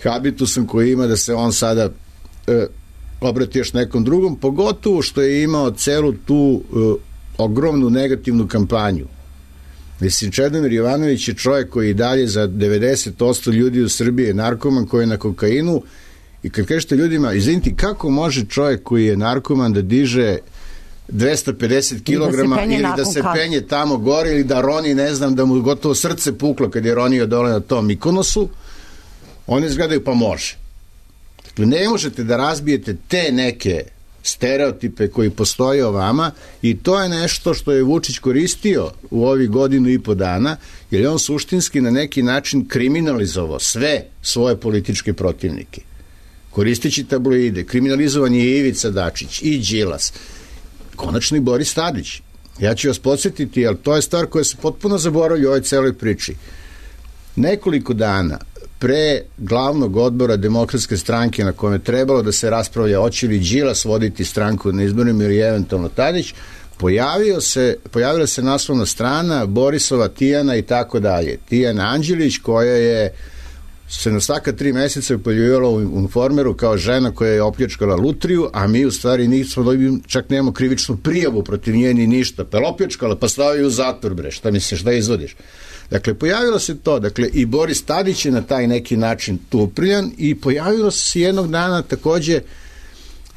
habitusom koji ima da se on sada e, obrati još nekom drugom, pogotovo što je imao celu tu e, ogromnu negativnu kampanju. Mislim, Čedomir Jovanović je čovjek koji dalje za devedeset posto ljudi u Srbiji je narkoman koji je na kokainu. I kad kažete ljudima, izvinite, kako može čovjek koji je narkoman da diže dvesta pedeset kilograma da ili da se penje tamo gore ili da roni, ne znam, da mu gotovo srce puklo kad je ronio dole na tom Mikonosu, oni izgledaju pa može. Dakle, ne možete da razbijete te neke stereotipe koji postoje o vama i to je nešto što je Vučić koristio u ovih godinu i po dana, jer je on suštinski na neki način kriminalizovao sve svoje političke protivnike. Koristeći tabloide, kriminalizovan je i Ivica Dačić i Đilas, konačno i Boris Tadić. Ja ću vas podsjetiti, ali to je stvar koja se potpuno zaboravlja u ovoj celoj priči. Nekoliko dana pre glavnog odbora Demokratske stranke na kojem je trebalo da se raspravlja hoće li Đilas voditi stranku na izborima ili eventualno Tadić, pojavio se, pojavila se naslovna strana Borisova Tijana i tako dalje. Tijana Anđelić koja je se na svaka tri meseca pojavljivala u Informeru kao žena koja je opljačkala lutriju, a mi u stvari nismo dobili, čak nemamo krivičnu prijavu protiv nje ni ništa. Pa opljačkala, pa stavio u zatvor, bre, šta misliš, šta izvodiš? Dakle, pojavilo se to, dakle, i Boris Tadić je na taj neki način tu uprljan i pojavilo se jednog dana takođe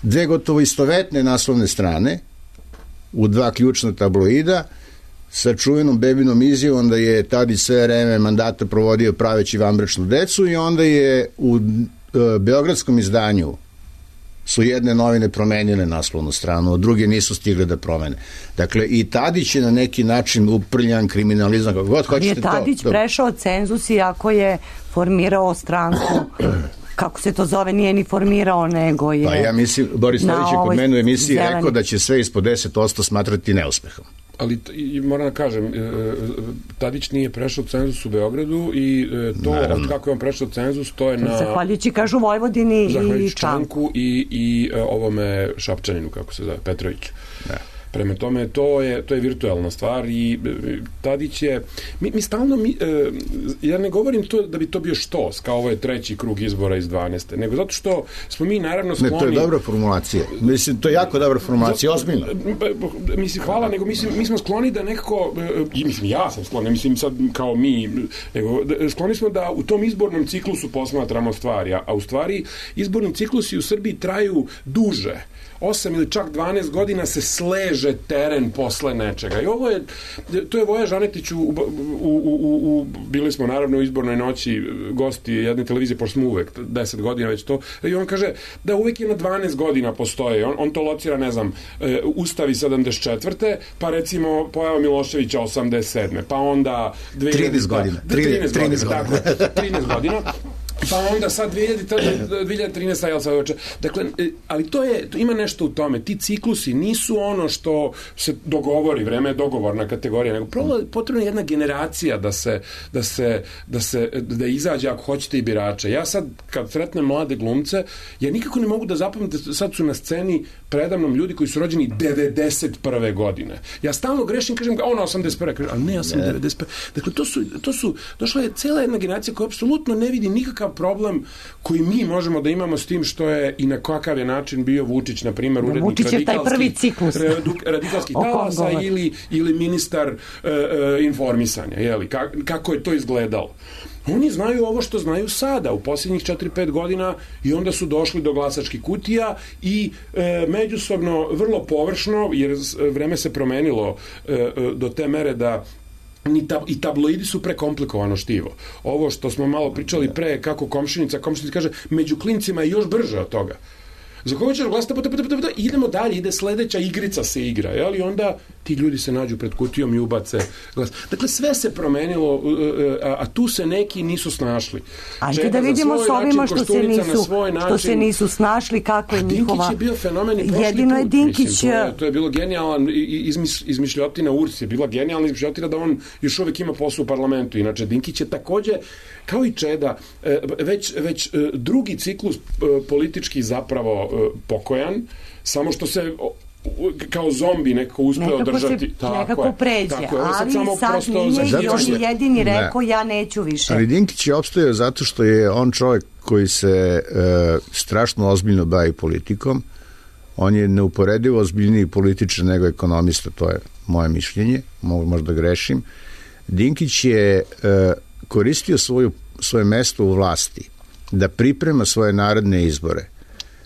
dve gotovo istovetne naslovne strane u dva ključna tabloida sa čuvenom bebinom izjavom da je Tadić sve vreme mandata provodio praveći vanbračnu decu i onda je u e, beogradskom izdanju su jedne novine promenile naslovnu stranu, a druge nisu stigle da promene. Dakle, i Tadić je na neki način uprljan, kriminalizam, kako god hoćete to. Je Tadić to, prešao cenzus iako je formirao stranku, kako se to zove, nije ni formirao, nego je... Pa ja mislim, Boris Tadić je kod mene u emisiji zeleni. rekao da će sve ispod deset posto smatrati neuspehom. Ali i moram da kažem, Tadić nije prešao cenzus u Beogradu i to od kako je on prešao cenzus, to je na... Zahvaljujući, kažu, Vojvodini i Čanku. I, i ovome Šapčaninu, kako se zove, Petroviću. Da. Prema tome, to je, to je virtualna stvar i Tadić je... Mi, mi stalno... Mi, ja ne govorim to da bi to bio štos, kao ovo je treći krug izbora iz dvanaeste, nego zato što smo mi naravno skloni... Ne, to je dobra formulacija. Mislim, to je jako dobra formulacija, ozbiljno. Mislim, hvala, nego mislim, mi smo skloni da nekako... I mislim, ja sam skloni, mislim sad kao mi, nego skloni smo da u tom izbornom ciklusu posmatramo stvari, a u stvari izborni ciklusi u Srbiji traju duže. osam ili čak dvanaest godina se sleže teren posle nečega. I ovo je, to je Voja Žanetić u, u, u, u, u bili smo naravno u izbornoj noći gosti jedne televizije, pošto smo uvek deset godina već to, i on kaže da uvek je na dvanaest godina postoje. On, on to locira, ne znam, Ustavi sedamdeset četvrte pa recimo pojava Miloševića osamdeset sedme pa onda trinaest godina. trinaest godina. Dakle, trinaest godina. Pa onda sad dve hiljade trinaeste jel sad oče. Dakle, ali to je, to ima nešto u tome. Ti ciklusi nisu ono što se dogovori, vreme je dogovorna kategorija, nego potrebna je jedna generacija da se, da se, da se, da izađe ako hoćete i birače. Ja sad, kad sretnem mlade glumce, ja nikako ne mogu da zapamtim, sad su na sceni predamnom ljudi koji su rođeni devedeset prve godine. Ja stalno grešim, kažem, ono osamdeset prve kažem, ali ne, ja sam devedeset prve Dakle, to su, to su, došla je cela jedna generacija koja apsolutno ne vidi nikakav problem koji mi možemo da imamo s tim što je i na kakav je način bio Vučić, na primjer, urednik radikalskih, radikalskih talasa ili, ili ministar uh, uh, informisanja, jeli, Ka, kako je to izgledalo. Oni znaju ovo što znaju sada, u posljednjih četiri pet godina, i onda su došli do glasačkih kutija i e, međusobno vrlo površno, jer vreme se promenilo e, do te mere da Ni tab, i tabloidi su prekomplikovano štivo. Ovo što smo malo pričali pre, kako komšinica, komšinica kaže, među klincima je još brže od toga. Za koga ćeš glasati, idemo dalje, ide sledeća igrica se igra, jel? I onda ti ljudi se nađu pred kutijom i ubace glas. Dakle, sve se promenilo, a, a tu se neki nisu snašli. Ajde da vidimo s ovima što se nisu, što se nisu snašli, kako je njihova... Dinkić je bio fenomen i prošli jedino je put. Dinkić... Mislim, to, je, to je bilo genijalan izmis, izmišljotina U R S je bila genijalna izmišljotina da on još uvijek ima posao u parlamentu. Inače, Dinkić je takođe, kao i Čeda, već, već drugi ciklus politički zapravo pokojan, samo što se kao zombi nekako uspeo nekako održati. Se, tako nekako je, pređe, tako je. Ali sad, sad prosto nije i on je jedini rekao ne. ja neću više. Ali Dinkić je opstajao zato što je on čovjek koji se e, strašno ozbiljno bavi politikom. On je neuporedivo ozbiljniji političar nego ekonomista, to je moje mišljenje, mogu možda grešim. Dinkić je e, koristio svoju, svoje mesto u vlasti da priprema svoje narodne izbore.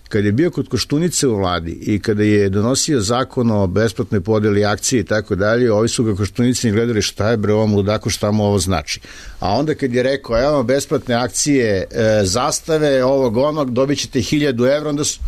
Kad je bio kod Koštunice u vladi i kada je donosio zakon o besplatnoj podeli akcije i tako dalje, ovi su ga Koštunici gledali šta je bre ovom ludaku, šta mu ovo znači. A onda kad je rekao, evo besplatne akcije, e, zastave, ovog onog, dobit ćete hiljadu evra, onda su,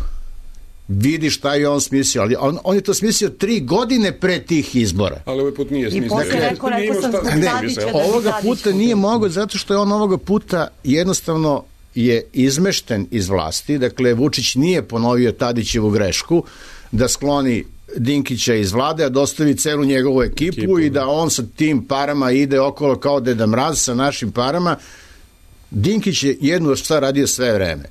vidi šta je on smislio. Ali on, on je to smislio tri godine pre tih izbora. Ali ovaj put nije smislio. I posle rekao, rekao sam zbog Tadića da ovoga puta nije mogo zato što je on ovoga puta jednostavno je izmešten iz vlasti, dakle Vučić nije ponovio Tadićevu grešku da skloni Dinkića iz vlade, a dostavi celu njegovu ekipu, ekipu i da on sa tim parama ide okolo kao Deda Mraz sa našim parama. Dinkić je jednu stvar radio sve vreme.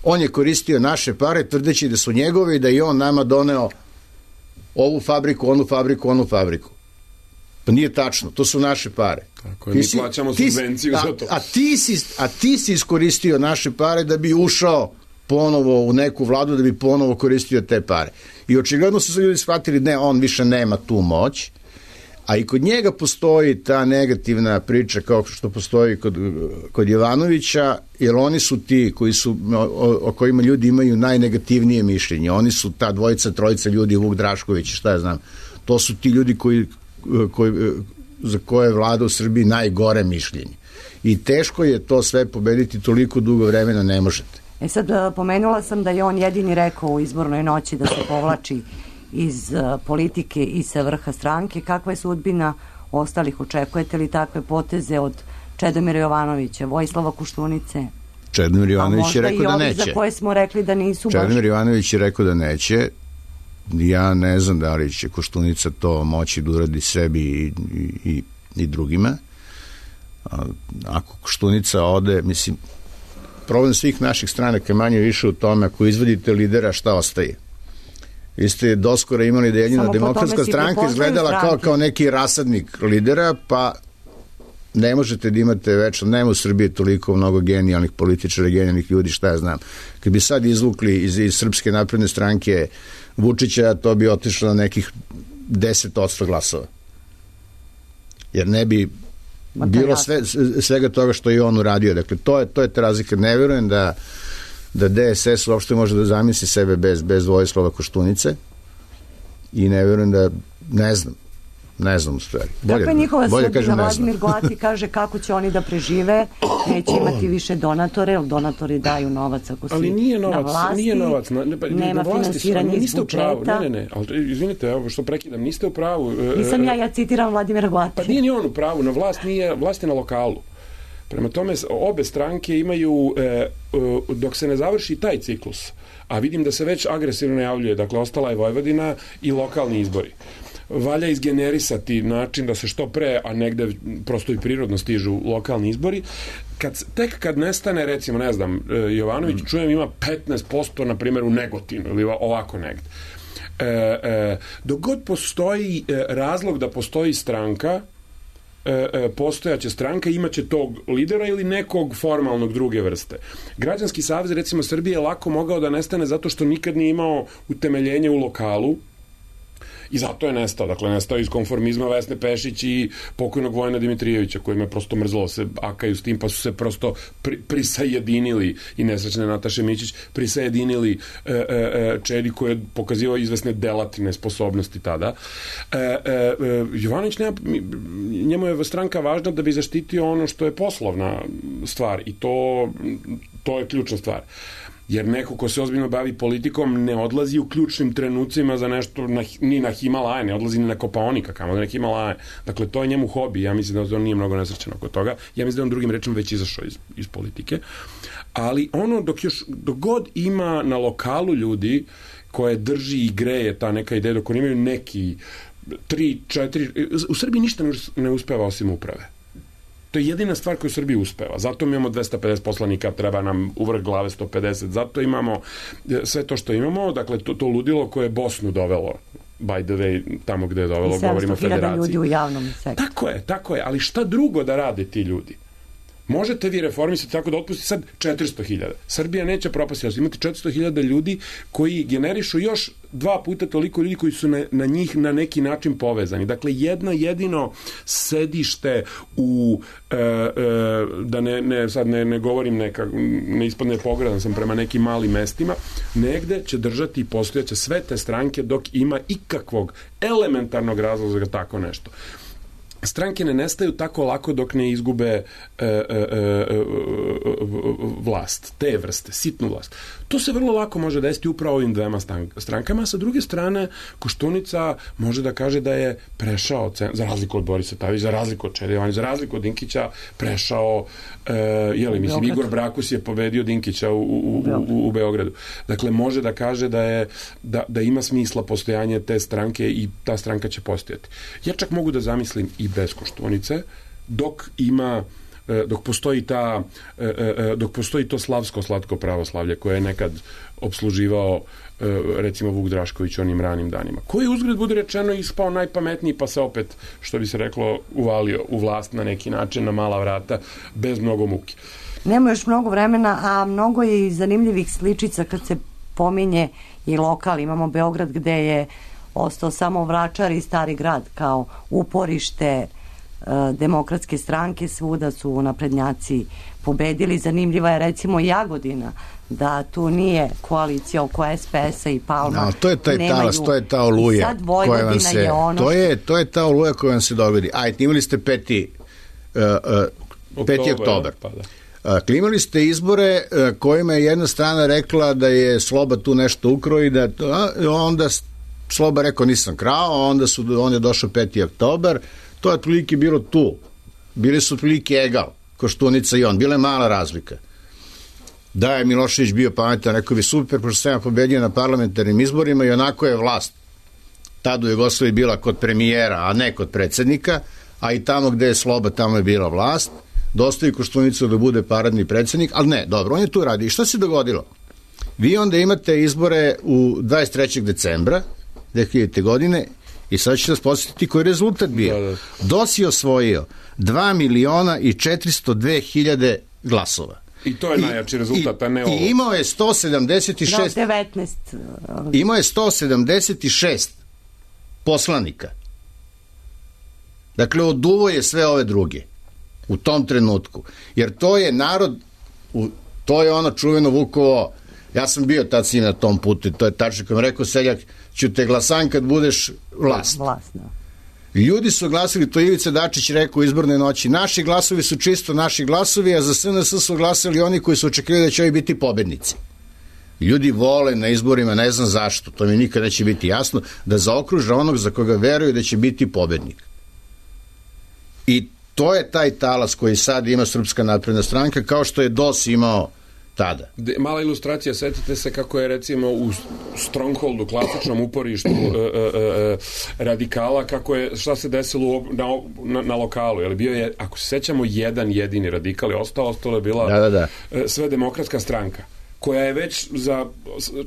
On je koristio naše pare tvrdeći da su njegove i da je on nama doneo ovu fabriku, onu fabriku, onu fabriku. Pa nije tačno, to su naše pare. Tako je, mi si, plaćamo subvenciju a, za to. A ti, si, a ti si iskoristio naše pare da bi ušao ponovo u neku vladu, da bi ponovo koristio te pare. I očigledno su se ljudi shvatili, ne, on više nema tu moć, a i kod njega postoji ta negativna priča kao što postoji kod, kod Jovanovića, jer oni su ti koji su, o, o kojima ljudi imaju najnegativnije mišljenje. Oni su ta dvojica, trojica ljudi, Vuk Drašković, šta ja znam. To su ti ljudi koji Koji, za koje je vlada u Srbiji najgore mišljenje. I teško je to sve pobediti, toliko dugo vremena ne možete. E sad, pomenula sam da je on jedini rekao u izbornoj noći da se povlači iz uh, politike i sa vrha stranke. Kakva je sudbina ostalih? Očekujete li takve poteze od Čedomira Jovanovića, Vojislava Koštunice? Čedomir Jovanović je rekao da neće. Za koje smo rekli da nisu Čedomir baš... Jovanović je rekao da neće. Ja ne znam da li će Koštunica to moći da uradi sebi i, i, i drugima. Ako Koštunica ode, mislim, problem svih naših stranaka je manje više u tome, ako izvodite lidera, šta ostaje? Vi ste doskora imali da jedina demokratska stranka izgledala kao, kao neki rasadnik lidera, pa ne možete da imate večno, nema u Srbiji toliko mnogo genijalnih političara, genijalnih ljudi, šta ja znam. Kad bi sad izvukli iz, iz Srpske napredne stranke Vučića, to bi otišlo na nekih deset odsto glasova. Jer ne bi bilo sve, svega toga što je on uradio. Dakle, to je, to je ta razlika. Ne verujem da, da D S S uopšte može da zamisli sebe bez, bez Vojislava Koštunice i ne verujem da, ne znam, ne znam u stvari. Bolje, Kakva je njihova bolje sudbina? Vladimir Goati kaže kako će oni da prežive, neće imati više donatore, jer donatori daju novac ako si ali nije novac, na vlasti, nije novac, na, ne, nema na vlasti, finansiranja iz niste budžeta. U pravu, ne, ne, ne, ali izvinite, evo što prekidam, niste u pravu. Nisam ja, ja citiram Vladimira Goati. Pa nije ni on u pravu, na vlast nije, vlast je na lokalu. Prema tome, obe stranke imaju, e, dok se ne završi taj ciklus, a vidim da se već agresivno najavljuje, dakle, ostala je Vojvodina i lokalni izbori. Valja izgenerisati način da se što pre, a negde prosto i prirodno stižu lokalni izbori. Kad, tek kad nestane, recimo, ne znam, Jovanović, čujem, ima petnaest posto, na primjer, u Negotinu ili ovako negde. E, e, dok god postoji razlog da postoji stranka, postojaće stranka, imaće tog lidera ili nekog formalnog druge vrste. Građanski savez, recimo, Srbije je lako mogao da nestane zato što nikad nije imao utemeljenje u lokalu i zato je nestao. Dakle, nestao iz konformizma Vesne Pešić i pokojnog Vojina Dimitrijevića, kojima je prosto mrzlo se akaju s tim, pa su se prosto pri, prisajedinili i nesrećne Nataše Mićić prisajedinili e, e, Čedi koji je pokazivao izvesne delativne sposobnosti tada. E, e, Jovanović nema, njemu je stranka važna da bi zaštitio ono što je poslovna stvar i to, to je ključna stvar. Jer neko ko se ozbiljno bavi politikom ne odlazi u ključnim trenucima za nešto na, ni na Himalaje, ne odlazi ni na Kopaonika, kamo da na Himalaje. Dakle, to je njemu hobi. Ja mislim da on nije mnogo nesrećan oko toga. Ja mislim da on drugim rečima već izašao iz, iz politike. Ali ono, dok, još, dok god ima na lokalu ljudi koje drži i greje ta neka ideja, dok oni imaju neki tri, četiri... U Srbiji ništa ne uspeva osim uprave. To je jedina stvar koju u Srbiji uspeva. Zato mi imamo dvesta pedeset poslanika, treba nam u vrh glave sto pedeset. Zato imamo sve to što imamo, dakle to, to ludilo koje je Bosnu dovelo, by the way, tamo gde je dovelo, govorimo o federaciji. sedamsto hiljada ljudi u javnom sektoru. Tako je, tako je, ali šta drugo da rade ti ljudi? Možete vi reformisati tako da otpusti sad četiristo hiljada. Srbija neće propasti, ali imate četiristo hiljada ljudi koji generišu još dva puta toliko ljudi koji su na, na njih na neki način povezani. Dakle, jedno jedino sedište u, e, e, da ne, ne, sad ne, ne govorim neka, ne ispadne pogradan sam prema nekim malim mestima, negde će držati i postojaće sve te stranke dok ima ikakvog elementarnog razloga za tako nešto. Stranke ne nestaju tako lako dok ne izgube e, e, e, vlast, te vrste, sitnu vlast. To se vrlo lako može desiti upravo ovim dvema strankama. Sa druge strane, Koštunica može da kaže da je prešao, za razliku od Borisa Tadića, za razliku od Čede Jovanovića, za razliku od Dinkića, prešao, e, jeli, mislim, Igor Brakus je pobedio Dinkića u, u, u, u Beogradu. Dakle, može da kaže da, je, da, da ima smisla postojanje te stranke i ta stranka će postojati. Ja čak mogu da zamislim i bez Koštunice, dok ima dok postoji ta dok postoji to slavsko slatko pravoslavlje koje je nekad obsluživao recimo Vuk Drašković onim ranim danima, koji uzgred bude rečeno ispao najpametniji pa se opet, što bi se reklo, uvalio u vlast na neki način na mala vrata bez mnogo muke. Nema još mnogo vremena, a mnogo je i zanimljivih sličica kad se pominje i lokal. Imamo Beograd gde je ostao samo Vračar i Stari grad kao uporište e, demokratske stranke, svuda su naprednjaci pobedili. Zanimljiva je recimo Jagodina, da tu nije koalicija oko es pe es-a i Palma. No, to je taj nemaju, talas, to je ta oluja. Sad Vojvodina se, je ono... To je, to je ta oluja koja vam se dogodi. Ajde, imali ste peti, uh, uh, peti oktober. Pa da. Uh, imali ste izbore uh, kojima je jedna strana rekla da je Sloba tu nešto ukrao i da to, onda Sloba rekao nisam krao, onda su, on je došao peti oktober, to je otprilike bilo tu. Bili su otprilike egal, Koštunica i on, bila je mala razlika. Da je Milošević bio pametan, rekao bi super, pošto sam ja pobedio na parlamentarnim izborima i onako je vlast. Tada u Jugoslaviji bila kod premijera, a ne kod predsednika, a i tamo gde je Sloba, tamo je bila vlast. Dostavi Koštunicu da bude paradni predsednik, ali ne, dobro, on je tu radi. I šta se dogodilo? Vi onda imate izbore u dvadeset trećeg decembra dve hiljadite. godine i sad ću vas podsjetiti koji je rezultat bio. Da, da. D O S je osvojio dva miliona i četiristo dve hiljade glasova. I to je I, najjači rezultat, i, a ne ovo. I imao je sto sedamdeset šest... Da, devetnaest. Imao je sto sedamdeset šest poslanika. Dakle, oduvo je sve ove druge u tom trenutku. Jer to je narod, u, to je ono čuveno Vukovo, ja sam bio tad si na tom putu, to je tačno, kao rekao seljak, ću te glasan kad budeš vlast. Vlast, da. Ljudi su glasili, to Ivica Dačić rekao u izbornoj noći, naši glasovi su čisto naši glasovi, a za es en es su glasali oni koji su očekivali da će ovi biti pobednici. Ljudi vole na izborima, ne znam zašto, to mi nikad neće biti jasno, da zaokruže onog za koga veruju da će biti pobednik. I to je taj talas koji sad ima Srpska napredna stranka, kao što je D O S imao tada. De, mala ilustracija, setite se kako je recimo u Strongholdu, klasičnom uporištu e, e, e, radikala, kako je, šta se desilo na, na, na lokalu, jer bio je, ako se sećamo, jedan jedini radikal je ostao, ostalo je bila da, da, da. sve demokratska stranka, koja je već za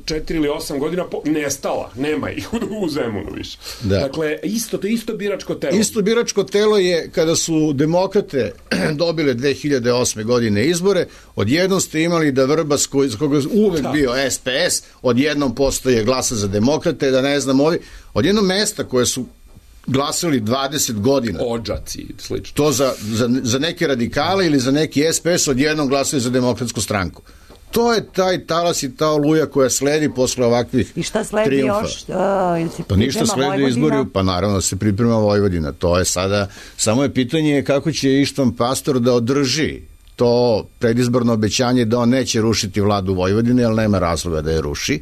četiri ili osam godina po, nestala, nema ih u, u Zemunu više. Da. Dakle, isto, to je isto biračko telo. Isto biračko telo je kada su demokrate dobile dve hiljade osme. godine izbore, odjednom ste imali da Vrbas, koji, za koga uvek da. bio es pe es, odjednom postoje glasa za demokrate, da ne znam ovi, odjednom mesta koje su glasali dvadeset godina. Odžaci, slično. To za, za, za neke radikale ili za neki es pe es odjednom glasali za demokratsku stranku. To je taj talas i ta oluja koja sledi posle ovakvih trijumfa. I šta sledi triumfa. još? Uh, pa ništa sledi Vojvodina? Izbori, pa naravno se priprema Vojvodina. To je sada, samo je pitanje kako će Ištvan Pastor da održi to predizborno obećanje da on neće rušiti vladu Vojvodine, ali nema razloga da je ruši.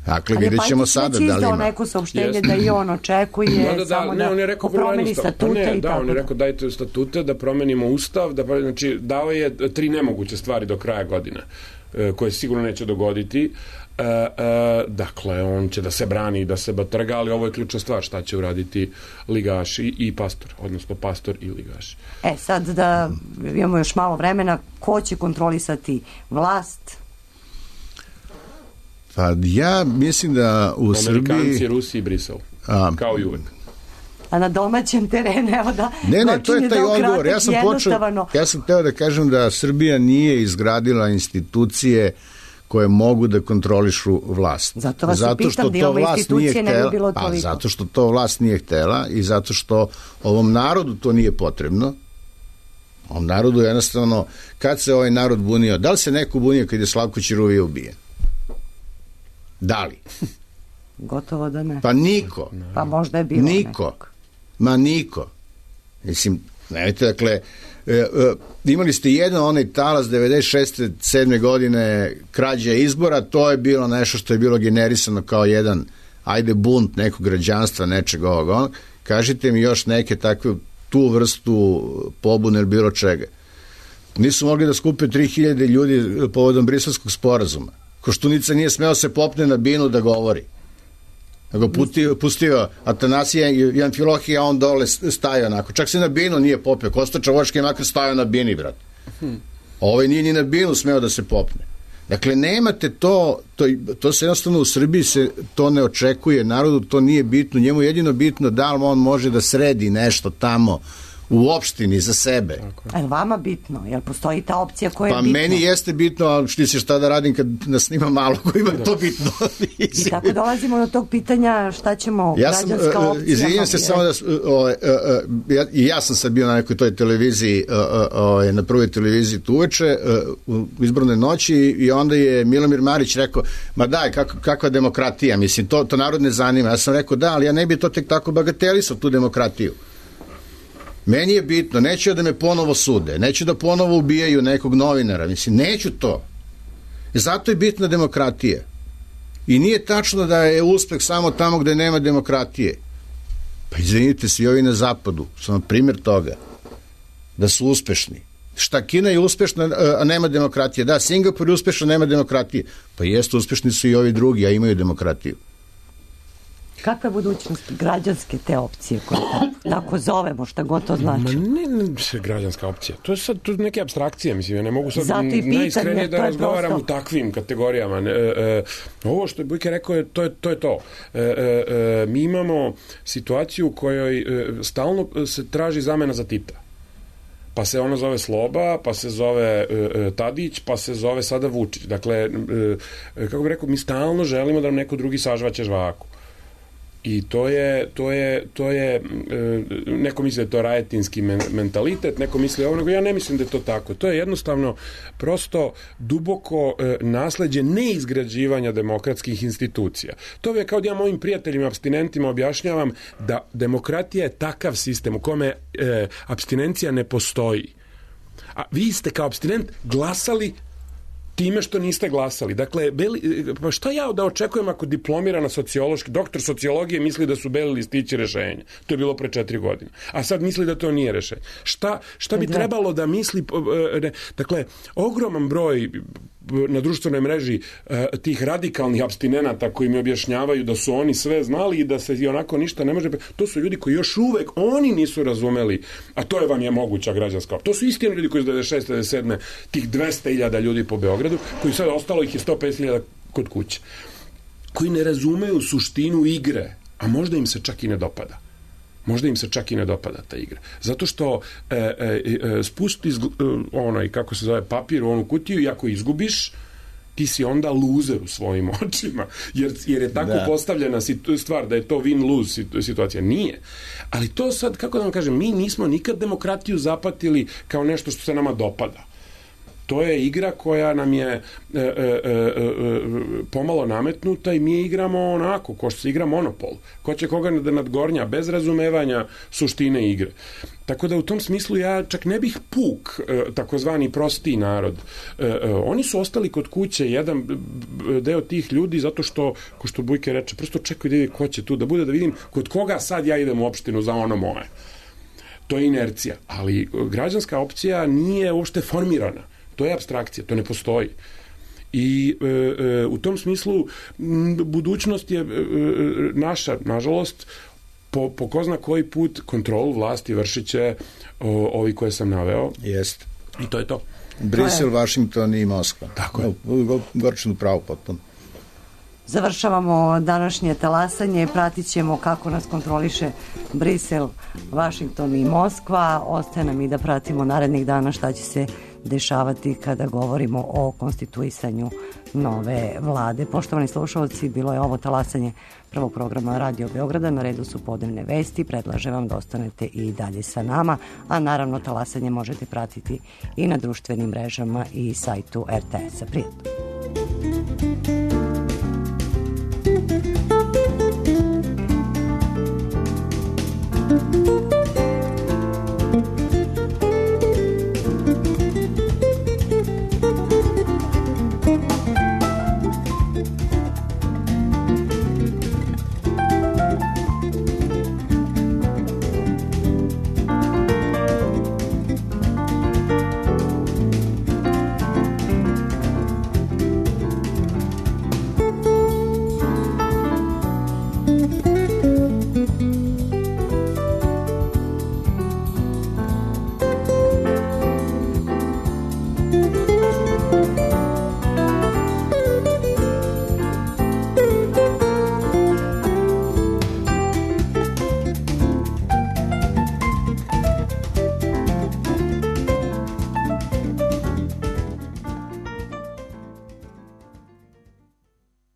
Dakle, vidjet ćemo sada da li ima. neko saopštenje da i on očekuje da, da, samo ne, on je rekao, da promeni statute ne, i da, tako. on je rekao dajte statute, da promenimo ustav, da, znači dao je tri nemoguće stvari do kraja godine, koje sigurno neće dogoditi. E, e, dakle, on će da se brani, da se batrga, ali ovo je ključna stvar, šta će uraditi ligaši i pastor, odnosno pastor i ligaši. E, sad da imamo još malo vremena, ko će kontrolisati vlast? Pa ja mislim da u Srbiji... Amerikanci, Rusi i Brisel, a, kao i uvek. A na domaćem terenu, evo da... Ne, ne, to je taj odgovor. Ja sam počeo, ja sam teo da kažem da Srbija nije izgradila institucije koje mogu da kontrolišu vlast. Zato vas zato pitam da imamo institucije ne bi bilo toliko. Pa zato što to vlast nije htela i zato što ovom narodu to nije potrebno. Ovom narodu jednostavno, kad se ovaj narod bunio, da li se neko bunio kad je Slavko Ćiruvija ubijen? Da li? Gotovo da ne. Pa niko. Pa možda je bilo niko. Nekog. Ma niko. Mislim, nemojte, dakle, e, e, imali ste jedan onaj talas devedeset šeste sedme godine krađa izbora, to je bilo nešto što je bilo generisano kao jedan, ajde, bunt nekog građanstva, nečeg ovog, onog. Kažite mi još neke takve, tu vrstu pobune ili bilo čega. Nisu mogli da skupe tri hiljade ljudi povodom Briselskog sporazuma. Koštunica nije smeo se popne na binu da govori. Nego pustio, pustio Atanasija i Amfilohija, on dole stajao onako. Čak se na binu nije popio. Kosta Čavoški je makar stajao na bini, brat. Ovaj nije ni na binu smeo da se popne. Dakle, nemate to, to, to se jednostavno u Srbiji se to ne očekuje, narodu to nije bitno, njemu je jedino bitno da li on može da sredi nešto tamo u opštini za sebe. A je vama bitno? Jel postoji ta opcija koja je pa bitna? Pa meni jeste bitno, ali šti se šta da radim kad nas snima malo kojima je to bitno. I tako dolazimo do tog pitanja šta ćemo ja sam, građanska opcija. Izvinjam se samo da o, o, o, ja, i ja sam sad bio na nekoj toj televiziji o, o, na prvoj televiziji tu uveče u izbornoj noći i onda je Milomir Marić rekao, ma daj, kako, kakva demokratija, mislim, to, to narod ne zanima. Ja sam rekao, da, ali ja ne bi to tek tako bagatelisao, tu demokratiju. Meni je bitno, neću da me ponovo sude, neću da ponovo ubijaju nekog novinara, mislim, neću to. Zato je bitna demokratija. I nije tačno da je uspeh samo tamo gde nema demokratije. Pa izvinite se, i ovi na zapadu, samo primjer toga, da su uspešni. Šta, Kina je uspešna, a nema demokratije? Da, Singapur je uspešan, nema demokratije. Pa jeste, uspešni su i ovi drugi, a imaju demokratiju. Kakva je budućnost građanske te opcije koje tako zovemo, šta god to znači? Ma ne, ne građanska opcija. To je sad to neke apstrakcije, mislim, ja ne mogu sad pitanje, najiskrenije da razgovaram prosto u takvim kategorijama. E, e, ovo što je Bujke rekao, je, to je to. Je to. E, e, mi imamo situaciju u kojoj e, stalno se traži zamena za Tita. Pa se ono zove Sloba, pa se zove e, Tadić, pa se zove sada Vučić. Dakle, e, kako bih rekao, mi stalno želimo da nam neko drugi sažvaće žvaku. I to je, to je, to je, neko misli da je to rajetinski mentalitet, neko misli ovo, nego ja ne mislim da je to tako. To je jednostavno prosto duboko nasleđe neizgrađivanja demokratskih institucija. To je kao da ja mojim prijateljima, apstinentima objašnjavam da demokratija je takav sistem u kome e, apstinencija ne postoji. A vi ste kao apstinent glasali time što niste glasali. Dakle, beli, pa šta ja da očekujem ako diplomirana sociološki, doktor sociologije misli da su beli listići rešenja? To je bilo pre četiri godine. A sad misli da to nije rešenje. Šta, šta bi trebalo da misli... Ne, dakle, ogroman broj na društvenoj mreži tih radikalnih apstinenata koji mi objašnjavaju da su oni sve znali i da se i onako ništa ne može... To su ljudi koji još uvek oni nisu razumeli, a to je vam je moguća građanska. To su istini ljudi koji iz devedeset šeste devedeset sedme tih dvesta hiljada ljudi po Beogradu, koji sad ostalo ih je sto pedeset hiljada kod kuće, koji ne razumeju suštinu igre, a možda im se čak i ne dopada. Možda im se čak i ne dopada ta igra. Zato što e, e, e, spusti e, onaj, kako se zove, papir u onu kutiju i ako izgubiš, ti si onda luzer u svojim očima. Jer, jer je tako da. postavljena stvar da je to win-lose situacija. Nije. Ali to sad, kako da vam kažem, mi nismo nikad demokratiju zapatili kao nešto što se nama dopada. To je igra koja nam je e, e, e, pomalo nametnuta i mi igramo onako, ko što se igra Monopol. Ko će koga da nadgornja, bez razumevanja suštine igre. Tako da u tom smislu ja čak ne bih puk, takozvani prostiji narod. Oni su ostali kod kuće, jedan deo tih ljudi, zato što, ko što Bujke reče, prosto čekaju da vidi ko će tu da bude, da vidim kod koga sad ja idem u opštinu za ono moje. To je inercija, ali građanska opcija nije uopšte formirana. To je apstrakcija, to ne postoji. I e, e, u tom smislu m, budućnost je e, naša, nažalost, po, po ko zna koji put kontrolu vlasti vršit će o, ovi koje sam naveo. Jest. I to je to. Brisel, Vašington i Moskva. Tako je. Gorčinu pravo potpuno. Završavamo današnje talasanje, pratit ćemo kako nas kontroliše Brisel, Vašington i Moskva. Ostaje nam i da pratimo narednih dana šta će se dešavati kada govorimo o konstituisanju nove vlade. Poštovani slušalci, bilo je ovo talasanje prvog programa Radio Beograda. Na redu su podnevne vesti. Predlažem vam da ostanete i dalje sa nama, a naravno talasanje možete pratiti i na društvenim mrežama i sajtu er te es-a. Prijetno.